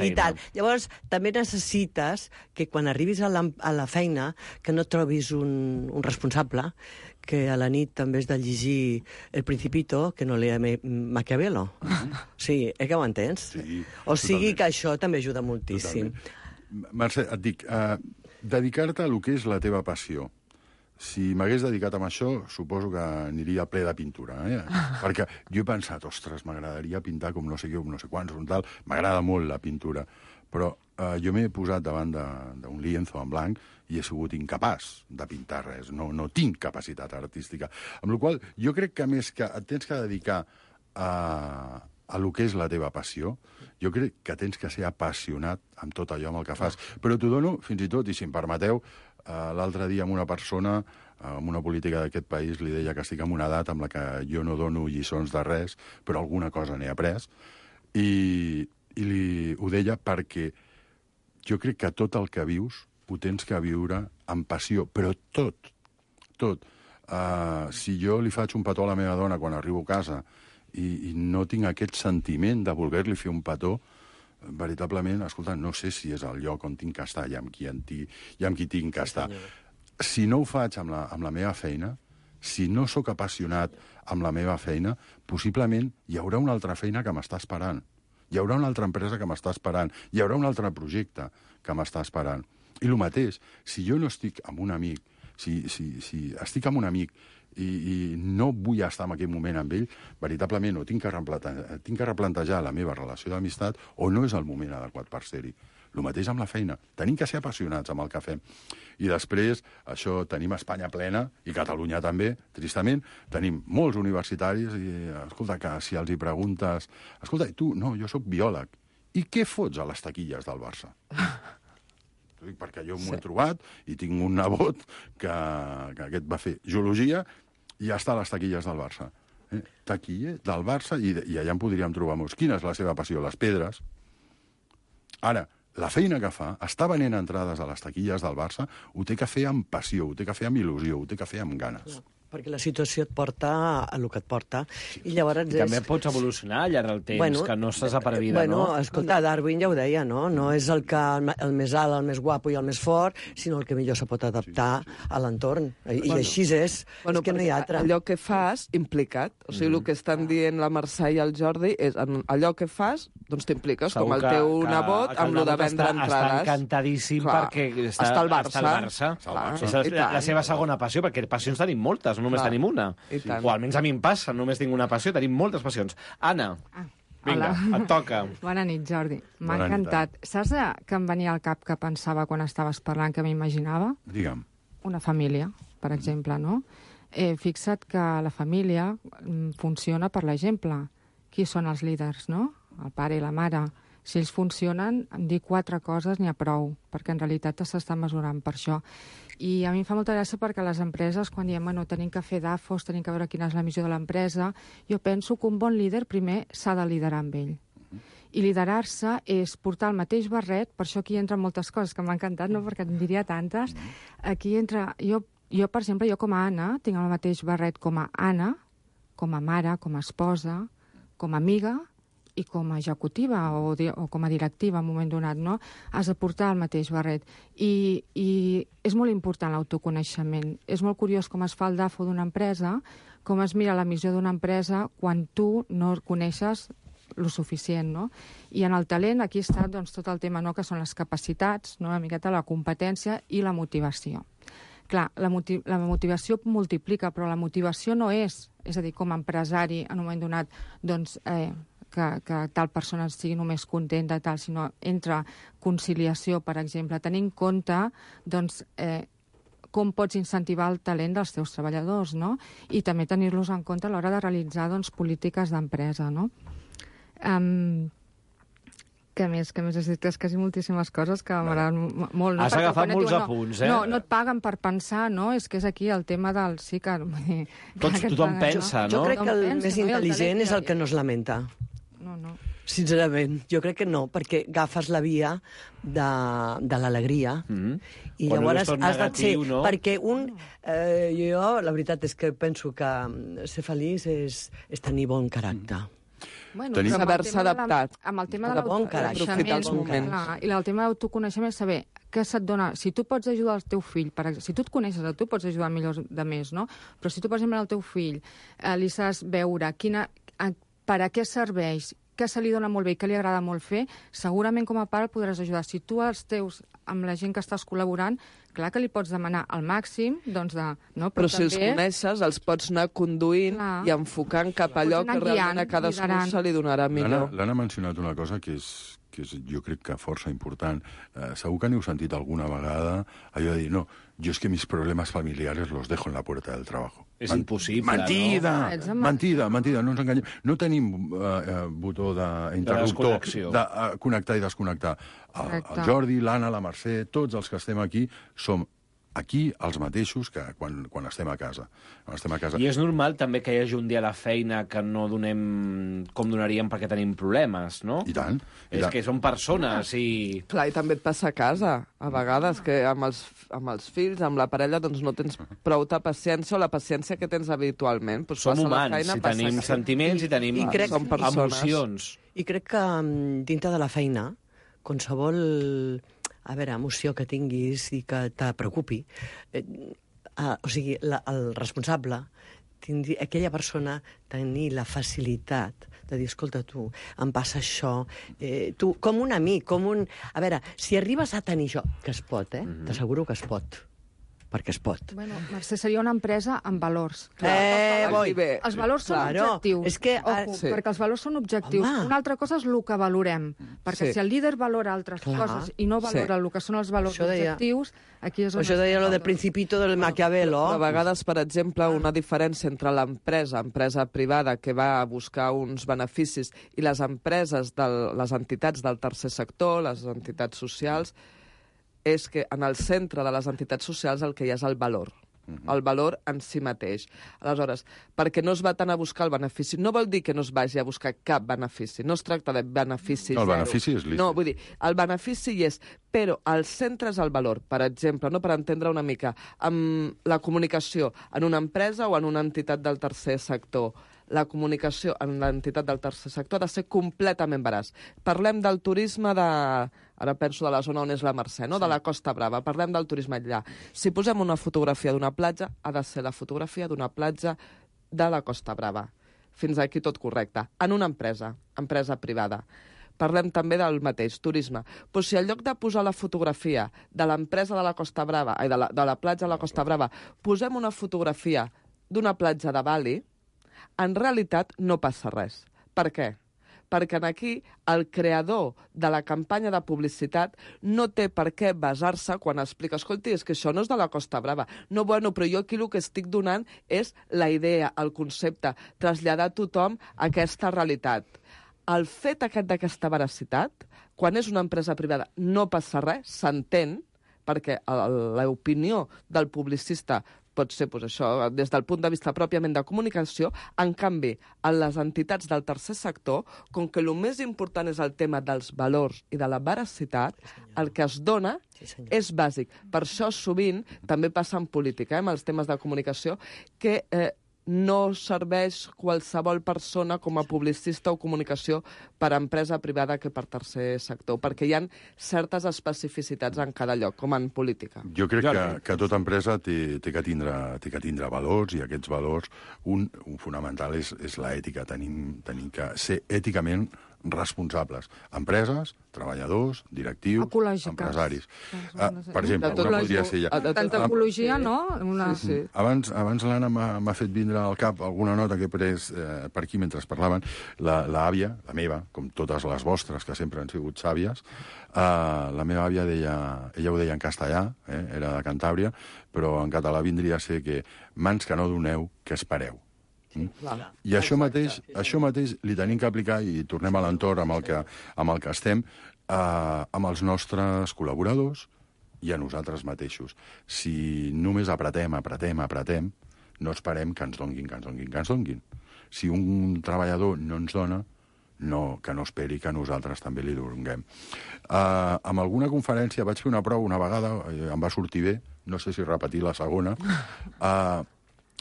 i tal. Llavors, també necessites que quan arribis a la feina que no trobis un responsable que a la nit també has de llegir El Principito, que no lea Maquiavelo. Sí, que ho entens? Sí, o sigui que això també ajuda moltíssim. Mercè, et dic, dedicar-te a lo que és la teva passió. Si m'hagués dedicat a això, suposo que aniria ple de pintura, Perquè jo he pensat, ostres, m'agradaria pintar com no sé què, com no sé quants, un tal. M'agrada molt la pintura, però jo m'he posat davant d'un lienzo en blanc i he sigut incapaç de pintar res. No tinc capacitat artística. Amb la qual jo crec que, més que et tens que dedicar a lo que és la teva passió, jo crec que tens que ser apassionat amb tot allò amb el que fas. Però t'ho dono, fins i tot, i si em permeteu, l'altre dia amb una persona, amb una política d'aquest país, li deia que estic en una edat amb la que jo no dono lliçons de res, però alguna cosa n'he après, i ho deia perquè jo crec que tot el que vius ho tens que viure amb passió, però tot. Si jo li faig un petó a la meva dona quan arribo a casa i no tinc aquest sentiment de voler-li fer un petó, veritablement, escolta, no sé si és el lloc on tinc que estar i amb qui tinc que estar. Si no ho faig amb la meva feina, si no sóc apassionat amb la meva feina, possiblement hi haurà una altra feina que m'està esperant. Hi haurà una altra empresa que m'està esperant. Hi haurà un altre projecte que m'està esperant. I el mateix, si jo no estic amb un amic, si estic amb un amic i no vull estar en aquell moment amb ell, veritablement o tinc que replantejar la meva relació d'amistat o no és el moment adequat per ser-hi. El mateix amb la feina. Tenim que ser apassionats amb el que fem. I després, això, tenim Espanya plena, i Catalunya també, tristament, tenim molts universitaris, i escolta, que si els hi preguntes... Escolta, tu, no, jo sóc biòleg. I què fots a les taquilles del Barça? Perquè jo m'ho he trobat i tinc un nebot que aquest va fer geologia i ja està a les taquilles del Barça. Taquiller del Barça, i allà en podríem trobar molts. Quina és la seva passió? Les pedres. Ara, la feina que fa, està venent entrades a les taquilles del Barça, ho té que fer amb passió, ho té que fer amb il·lusió, ho té que fer amb ganes. Perquè la situació et porta a el que et porta. I llavors també pots evolucionar al llarg del temps, que no estàs a per vida, no? Escolta, Darwin ja ho deia, no? No és el més alt, el més guapo i el més fort, sinó el que millor se pot adaptar a l'entorn. I així és. És que no hi ha altre. Allò que fas, implicat. O sigui, el que estan dient la Mercè i el Jordi és allò que fas, doncs t'impliques, com el teu nebot, amb lo de vendre entrades. Està encantadíssim perquè està al Barça. És la seva segona passió, perquè passions tenim moltes, no només tenim una. O almenys a mi em passa, només tinc una passió, tenim moltes passions. Anna, vinga, et toca. Bona nit, Jordi. M'ha encantat. Saps que em venia al cap que pensava quan estaves parlant, que m'imaginava? Digue'm. Una família, per exemple, no? Fixa't que la família funciona per l'exemple. Qui són els líders, no? El pare i la mare. Si ells funcionen, dir 4 coses n'hi ha prou, perquè en realitat s'està mesurant per això. I a mi em fa molta gràcia perquè les empreses, quan diem, bueno, tenim que fer DAFOs, tenim que veure quina és la missió de l'empresa, jo penso que un bon líder primer s'ha de liderar amb ell. I liderar-se és portar el mateix barret, per això aquí entren moltes coses que m'ha encantat, no? Perquè en diria tantes. Aquí entra... Jo, per exemple, jo com a Anna, tinc el mateix barret com a Anna, com a mare, com a esposa, com a amiga i com a executiva o com a directiva en un moment donat, no? Has de portar el mateix barret. I és molt important l'autoconeixement. És molt curiós com es fa el DAFO d'una empresa, com es mira la missió d'una empresa quan tu no coneixes lo suficient, no? I en el talent aquí està doncs, tot el tema, no?, que són les capacitats, no?, una miqueta la competència i la motivació. Clar, la motivació multiplica, però la motivació no és a dir, com a empresari en un moment donat, doncs, que tal persona estigui només contenta, tal, sinó entre conciliació, per exemple, tenir en compte, doncs, com pots incentivar el talent dels teus treballadors, no? I també tenir-los en compte a l'hora de realitzar, doncs, polítiques d'empresa, no? Què més has dit? És quasi moltíssimes coses que m'agraden molt. Has agafat molts apunts, No et paguen per pensar, no? És que és aquí el tema del... Sí que... Tothom pensa, no? Jo crec que el més intel·ligent és el que no es lamenta. No. Sincerament, jo crec que no, perquè agafes la via de l'alegria i llavors has de ser... Perquè jo, la veritat és que penso que ser feliç és tenir bon caràcter. Bueno, Tenim... Saber-se adaptat. Amb el tema de Aprofitar els moments. I el tema d'autoconeixement és saber què se't dona... Si tu pots ajudar el teu fill, si tu et coneixes, tu pots ajudar millor de més, no? Però si tu, per exemple, al teu fill li saps veure per a què serveix, què se li dona molt bé i què li agrada molt fer, segurament com a pare el podràs ajudar. Si tu els teus, amb la gent que estàs col·laborant, clar que li pots demanar al màxim, doncs no? Però si els coneixes, els pots anar conduint i enfocant cap a allò que realment a cadascú se li donarà millor. L'Anna ha mencionat una cosa que és jo crec que força important. Segur que n'heu sentit alguna vegada allò de dir, no, yo es que mis problemas familiares los dejo en la puerta del trabajo. És impossible, mentida, no? Mentida, no ens enganyem. No tenim botó d'interruptor de connectar i desconnectar. El Jordi, l'Anna, la Mercè, tots els que estem aquí som aquí els mateixos que quan estem a casa. I és normal també que hi hagi un dia a la feina que no donem com donaríem perquè tenim problemes, no? I tant. És que són persones i... Clar, i també et passa a casa, a vegades, que amb els fills, amb la parella, doncs no tens prou paciència o la paciència que tens habitualment. Pues som humans, i tenim sentiments i tenim emocions. I crec que dintre de la feina, qualsevol emoció que tinguis i que te preocupi, o sigui, el responsable, aquella persona tenir la facilitat de dir, escolta, tu, em passa això, tu, com un amic, A veure, si arribes a tenir això, que es pot, t'asseguro que es pot, perquè es pot. Bueno, Mercè, seria una empresa amb valors. Els valors són objectius. Perquè els valors són objectius. Una altra cosa és el que valorem. Perquè si el líder valora altres coses i no valora el que són els valors objectius, aquí és on... Això deia lo del Principito del Maquiavelo. A vegades, per exemple, una diferència entre l'empresa privada que va a buscar uns beneficis i les empreses, les entitats del tercer sector, les entitats socials, és que en el centre de les entitats socials el que hi ha és el valor. El valor en si mateix. Aleshores, perquè no es va tant a buscar el benefici, no vol dir que no es vagi a buscar cap benefici, no es tracta de benefici zero. El benefici és lícit. No, vull dir, el benefici hi és, però el centre és el valor. Per exemple, no, per entendre una mica, amb la comunicació en una empresa o en una entitat del tercer sector, la comunicació en l'entitat del tercer sector ha de ser completament veraç. Parlem del turisme ara penso de la zona on és la Mercè, no? De la Costa Brava. Parlem del turisme allà. Si posem una fotografia d'una platja, ha de ser la fotografia d'una platja de la Costa Brava. Fins aquí tot correcte. En una empresa privada. Parlem també del mateix, turisme. Però si en lloc de posar la fotografia de l'empresa de la Costa Brava, de la platja de la Costa Brava, posem una fotografia d'una platja de Bali, en realitat no passa res. Per què? Perquè aquí el creador de la campanya de publicitat no té per què basar-se quan explica, escolti, és que això no és de la Costa Brava. No, bueno, però jo aquí el que estic donant és la idea, el concepte, traslladar a tothom aquesta realitat. El fet d'aquesta veracitat, quan és una empresa privada, no passa res, s'entén, perquè l'opinió del publicista pot ser això, des del punt de vista pròpiament de comunicació. En canvi, en les entitats del tercer sector, com que el més important és el tema dels valors i de la veracitat, el que es dona és bàsic. Per això sovint també passa en política, amb els temes de comunicació, que no serveix qualsevol persona com a publicista o comunicació per a empresa privada que per tercer sector, perquè hi ha certes especificitats en cada lloc, com en política. Jo crec que tota empresa té que tindre valors, i aquests valors, un fonamental és l'ètica. Tenim que ser èticament responsables. Empreses, treballadors, directius, empresaris. Per exemple, una podria ser ja... Tanta ecologia, no? Sí. Abans l'Anna m'ha fet vindre al cap alguna nota que he pres per aquí mentre parlaven. L'àvia, la meva, com totes les vostres, que sempre han sigut sàvies, la meva àvia ella ho deia en castellà, era de Cantàbria, però en català vindria a ser que mans que no doneu, que espereu. I això mateix li tenim que aplicar, i tornem a l'entorn amb el que estem, amb els nostres col·laboradors i a nosaltres mateixos. Si només apretem, no esperem que ens donguin. Si un treballador no ens dona, que no esperi que nosaltres també li donem. Amb alguna conferència vaig fer una prova una vegada, em va sortir bé, no sé si repetir la segona,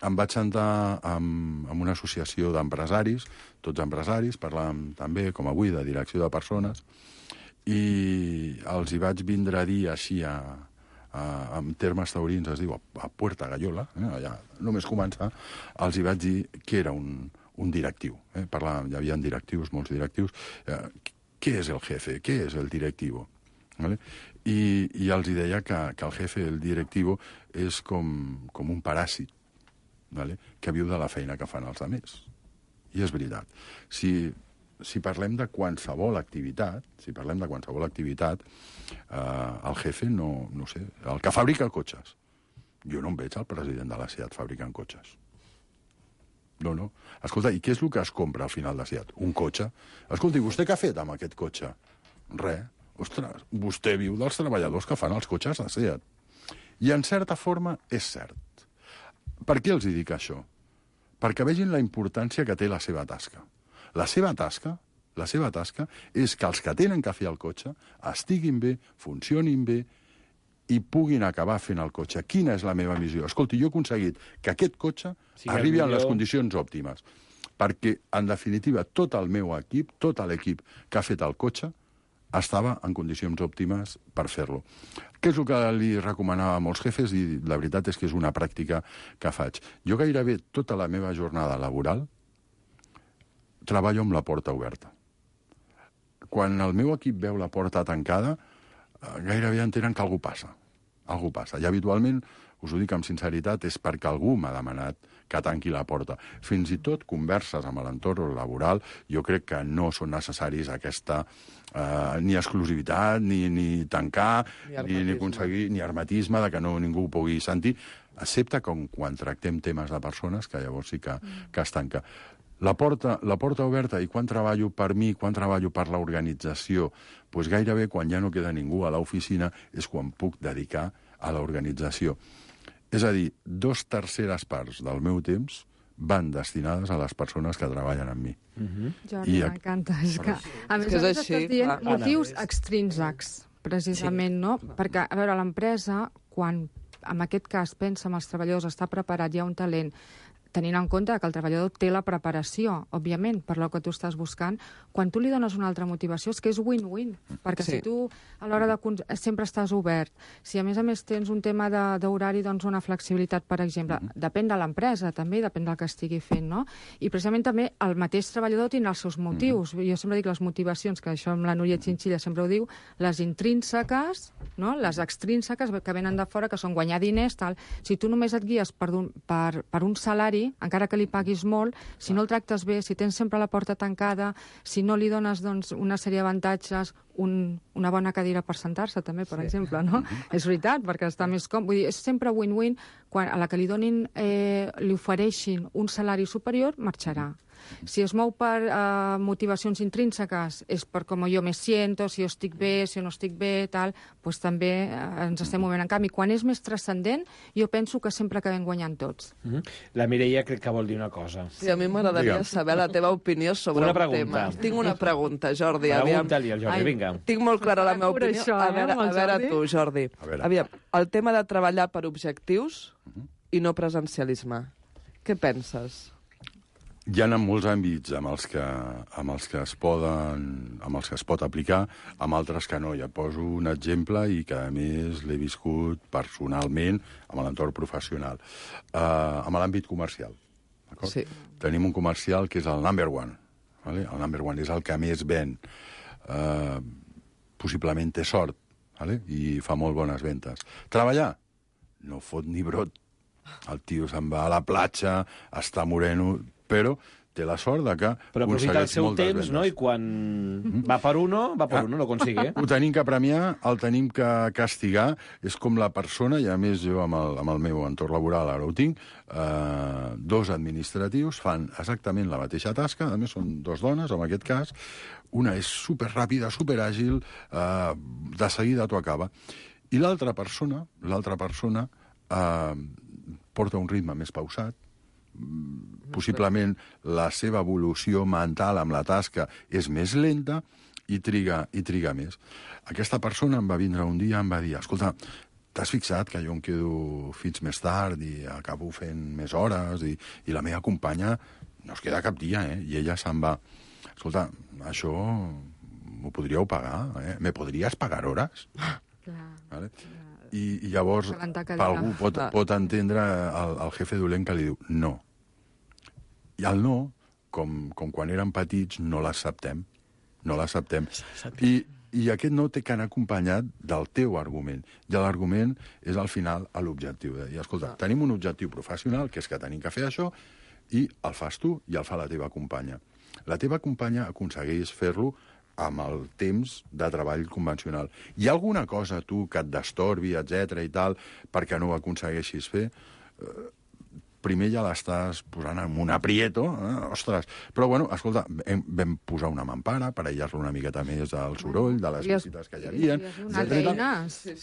em vaig sentar amb una associació d'empresaris, tots empresaris, parlàvem també, com avui, de direcció de persones, i els hi vaig vindre a dir així, en termes taurins, es diu, a Puerta Gallola, allà només començar, els hi vaig dir que era un directiu. Parlàvem, hi havia directius, molts directius. Què és el jefe? Què és el directivo? I els hi deia que el jefe, el directivo, és com un paràsit, que viu de la feina que fan els altres. I és veritat. Si parlem de qualsevol activitat, el jefe, no sé, el que fabrica cotxes. Jo no em veig el president de la SEAT fabricant cotxes. No. Escolta, i què és el que es compra al final de SEAT? Un cotxe. Escolta, i vostè què ha fet amb aquest cotxe? Res. Ostres, vostè viu dels treballadors que fan els cotxes de SEAT. I en certa forma és cert. Per què els dic això? Perquè vegin la importància que té la seva tasca. La seva tasca és que els que tenen que fer el cotxe estiguin bé, funcionin bé i puguin acabar fent el cotxe. Quina és la meva missió? Escolti, jo he aconseguit que aquest cotxe arribi en les condicions òptimes. Perquè, en definitiva, tot el meu equip, tot l'equip que ha fet el cotxe, estava en condicions òptimes per fer-lo. Què és el que li recomanava a molts jefes? I la veritat és que és una pràctica que faig. Jo gairebé tota la meva jornada laboral treballo amb la porta oberta. Quan el meu equip veu la porta tancada, gairebé entenen que alguna cosa passa. I habitualment, us ho dic amb sinceritat, és perquè algú m'ha demanat que tanqui la porta. Fins i tot converses amb l'entorn laboral, jo crec que no són necessaris aquesta ni exclusivitat, ni tancar, ni aconseguir, ni hermetisme, de que ningú ho pugui sentir, excepte quan tractem temes de persones, que llavors sí que es tanca. La porta oberta, i quan treballo per mi, quan treballo per l'organització, doncs gairebé quan ja no queda ningú a l'oficina és quan puc dedicar a l'organització. És a dir, 2/3 parts del meu temps van destinades a les persones que treballen amb mi. Jordi, m'encanta. És que, a més, estàs dient motius extrínsecs, precisament, no? Perquè, a veure, l'empresa, quan en aquest cas pensa en els treballadors, està preparat, hi ha un talent, tenint en compte que el treballador té la preparació, òbviament, per lo que tu estàs buscant, quan tu li dones una altra motivació és que és win-win, perquè si tu a l'hora de sempre estàs obert, si a més tens un tema d'horari, doncs una flexibilitat, per exemple, depèn de l'empresa també, depèn del que estigui fent, no? I precisament també el mateix treballador tindrà els seus motius. Jo sempre dic les motivacions, que això amb la Núria Chinchilla sempre ho diu, les intrínseques, no? Les extrínseques que venen de fora, que són guanyar diners, tal. Si tu només et guies per un salari, encara que li paguis molt, si no el tractes bé, si tens sempre la porta tancada, si no li dones una sèrie d'avantatges, una bona cadira per sentar-se, també, per exemple, no? És veritat, perquè està més còmode. Vull dir, és sempre win-win. Quan a la que li ofereixin un salari superior, marxarà. Si es mou per motivacions intrínseques, és per com jo me siento, si jo estic bé, si no estic bé, tal, doncs també ens estem movent. En canvi, quan és més transcendent, jo penso que sempre acabem guanyant tots. La Mireia crec que vol dir una cosa. Sí, a mi m'agradaria saber la teva opinió sobre un tema. Tinc una pregunta, Jordi. Pregunta-li al Jordi, vinga. Tinc molt clara la meva opinió. A veure tu, Jordi. Aviam, el tema de treballar per objectius i no presencialisme. Què penses? Hi ha molts àmbits amb els que es pot aplicar, amb altres que no. Ja poso un exemple i que, a més, l'he viscut personalment amb l'entorn professional. Amb l'àmbit comercial. Sí. Tenim un comercial que és el number one. El number one és el que més ven. Possiblement té sort i fa molt bones ventes. Treballar? No fot ni brot. El tio se'n va a la platja, està moreno, però té la sort de que però aprofita el seu temps, no? I quan va per uno, lo consigue. Ho tenim que premiar, el tenim que castigar. És com la persona, i a més jo amb el meu entorn laboral ara ho tinc, dos administratius fan exactament la mateixa tasca, a més són dos dones, en aquest cas, una és superràpida, superàgil, de seguida t'ho acaba. I l'altra persona porta un ritme més pausat, possiblement la seva evolució mental amb la tasca és més lenta i triga més. Aquesta persona em va vindre un dia i em va dir: escolta, t'has fixat que jo em quedo fins més tard i acabo fent més hores i la meva companya no es queda cap dia, i ella se'n va. Escolta, això m'ho podríeu pagar, ¿Me podries pagar hores? Vale? I llavors algú pot entendre el jefe dolent que li diu no. I el no, com quan érem petits, no l'acceptem. No l'acceptem. I aquest no té que anar acompanyat del teu argument. I l'argument és, al final, l'objectiu. I, escolta, tenim un objectiu professional, que és que tenim que fer això, i el fas tu i el fa la teva companya. La teva companya aconsegueix fer-lo amb el temps de treball convencional. Hi ha alguna cosa, tu, que et destorbi, etc i tal, perquè no ho aconsegueixis fer? Primer ja l'estàs posant en un aprieto, ostres. Però, bueno, escolta, vam posar una mampara per aïllar-lo una miqueta més del soroll, de les visites que hi havia,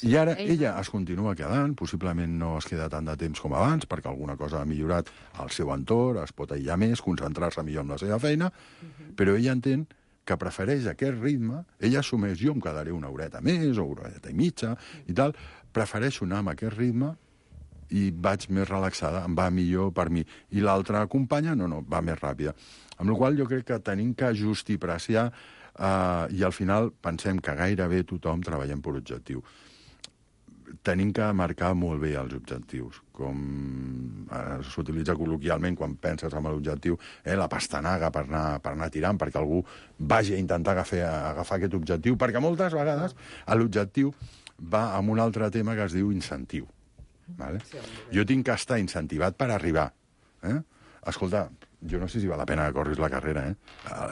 i ara ella es continua quedant, possiblement no es queda tant de temps com abans, perquè alguna cosa ha millorat al seu entorn, es pot aïllar més, concentrar-se millor en la seva feina, però ella entén que prefereix aquest ritme, ella assumeix, jo em quedaré una horeta més, o una horeta i mitja, i tal, prefereixo anar amb aquest ritme i vaig més relaxada, em va millor per mi. I l'altra companya, no, va més ràpida. Amb la qual cosa jo crec que tenim que ajustar i preciar i al final pensem que gairebé tothom treballem per objectiu. Tenim que marcar molt bé els objectius, com s'utilitza col·loquialment quan penses en l'objectiu, la pastanaga per anar tirant, perquè algú vagi a intentar agafar aquest objectiu, perquè moltes vegades l'objectiu va amb un altre tema que es diu incentiu. Vale? Jo tinc que estar incentivat per arribar. Escolta, jo no sé si val la pena que corris la carrera.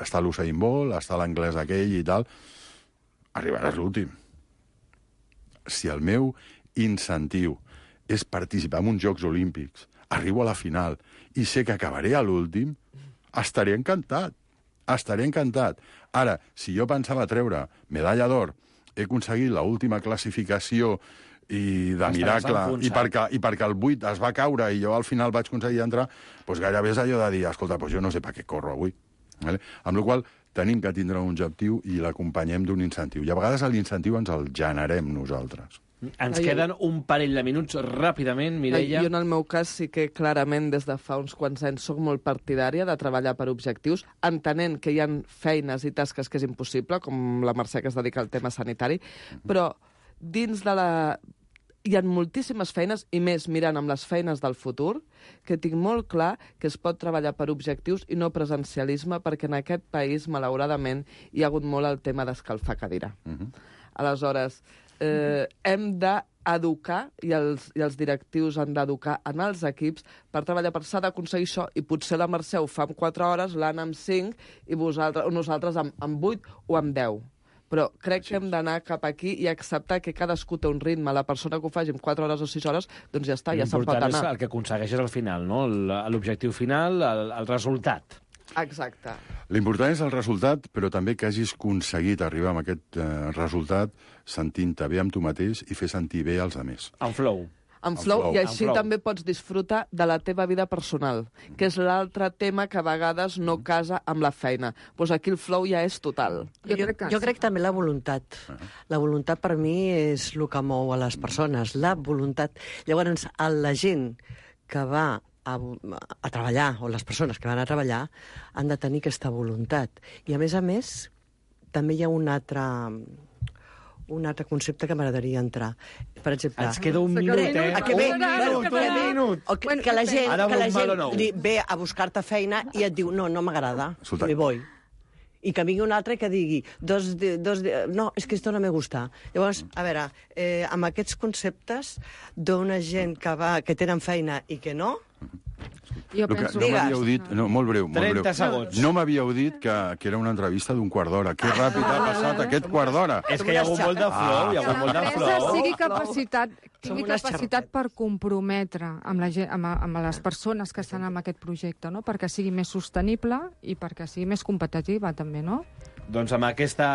Està l'Usain Bolt, està l'anglès aquell i tal. Arribaràs l'últim. Si el meu incentiu és participar en uns Jocs Olímpics, arribo a la final i sé que acabaré a l'últim, estaré encantat. Estaré encantat. Ara, si jo pensava treure medalla d'or, he aconseguit l'última classificació i de miracle, i perquè el 8 es va caure i jo al final vaig aconseguir entrar, doncs gairebé és allò de dir, escolta, doncs jo no sé per què corro avui. Vale? Amb la qual cosa tenim que tindre un objectiu i l'acompanyem d'un incentiu. I a vegades l'incentiu ens el generem nosaltres. Ens queden un parell de minuts ràpidament, Mireia. Jo, en el meu cas, sí que clarament des de fa uns quants anys soc molt partidària de treballar per objectius, entenent que hi ha feines i tasques que és impossible, com la Mercè, que es dedica al tema sanitari, però dins de la... Hi ha moltíssimes feines, i més mirant amb les feines del futur, que tinc molt clar que es pot treballar per objectius i no presencialisme, perquè en aquest país, malauradament, hi ha hagut molt el tema d'escalfar cadira. Aleshores, hem d'educar, i els directius han d'educar en els equips per treballar, per s'ha d'aconseguir això, i potser la Mercè ho fa en 4 hores, l'Anna amb 5, i nosaltres amb 8 o amb 10. Però crec que hem d'anar cap aquí i acceptar que cadascú té un ritme. La persona que ho faci en 4 hores o 6 hores, doncs ja està, ja se'n pot anar. L'important és el que aconsegueixes al final, no? L'objectiu final, el resultat. Exacte. L'important és el resultat, però també que hagis aconseguit arribar a aquest resultat sentint-te bé amb tu mateix i fer sentir bé als altres. En flow. En flow, i així també pots disfrutar de la teva vida personal, que és l'altre tema que a vegades no casa amb la feina. Doncs aquí el flow ja és total. Jo crec també la voluntat. La voluntat per mi és el que mou a les persones, la voluntat. Llavors, la gent que va a treballar, o les persones que van a treballar, han de tenir aquesta voluntat. I, a més, també hi ha un altre concepte que m'agradaria entrar. Per exemple... Ens queda un minut, Un minut. Que la gent ve a buscar-te feina i et diu, no m'agrada, me voy. I que vingui un altre que digui, no, és que esto no me gusta. Llavors, a veure, amb aquests conceptes d'una gent que tenen feina i que no... Jo penso... No m'havíeu dit... No, molt breu. 30 segons. No m'havíeu dit que era una entrevista d'un quart d'hora. Que ràpid ha passat aquest quart d'hora. És que hi ha hagut molt de flow, sigui tingui capacitat per comprometre amb les persones que estan en aquest projecte, no? Perquè sigui més sostenible i perquè sigui més competitiva, també, no? Doncs amb aquesta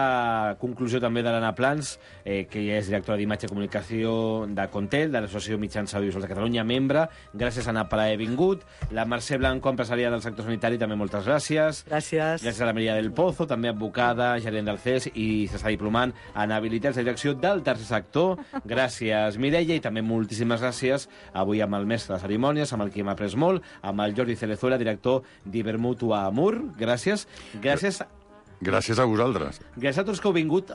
conclusió també de l'Anna Plans, que ja és directora d'imatge i comunicació de Contel, de l'Associació Mitjans Audiovisuals de Catalunya, membre. Gràcies, Anna, per haver vingut. La Mercè Blanco, empresària del sector sanitari, també moltes gràcies. Gràcies. Gràcies a la Maria del Pozo, també advocada, gerent del CES i s'està diplomant en habilitats de direcció del tercer sector. Gràcies, Mireia, i també moltíssimes gràcies avui amb el mestre de cerimònies, amb el qui hem après molt, amb el Jordi Cerezuela, director d'Ibermutua Amur. Gràcies. Gràcies a vosaltres. Gràcies a tots que heu vingut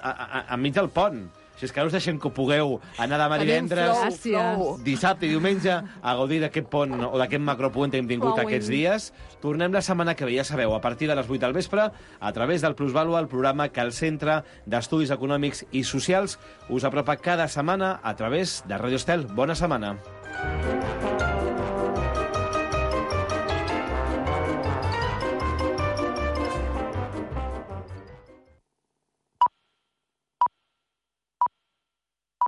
enmig del pont. Si és que no us deixem que pugueu anar demà divendres, dissabte i diumenge a gaudir d'aquest pont o d'aquest macropuente que hem tingut aquests dies. Tornem la setmana que ve, ja sabeu, a partir de les 8 del vespre, a través del Plusvàlua, el programa que el Centre d'Estudis Econòmics i Socials us apropa cada setmana a través de Radio Estel. Bona setmana.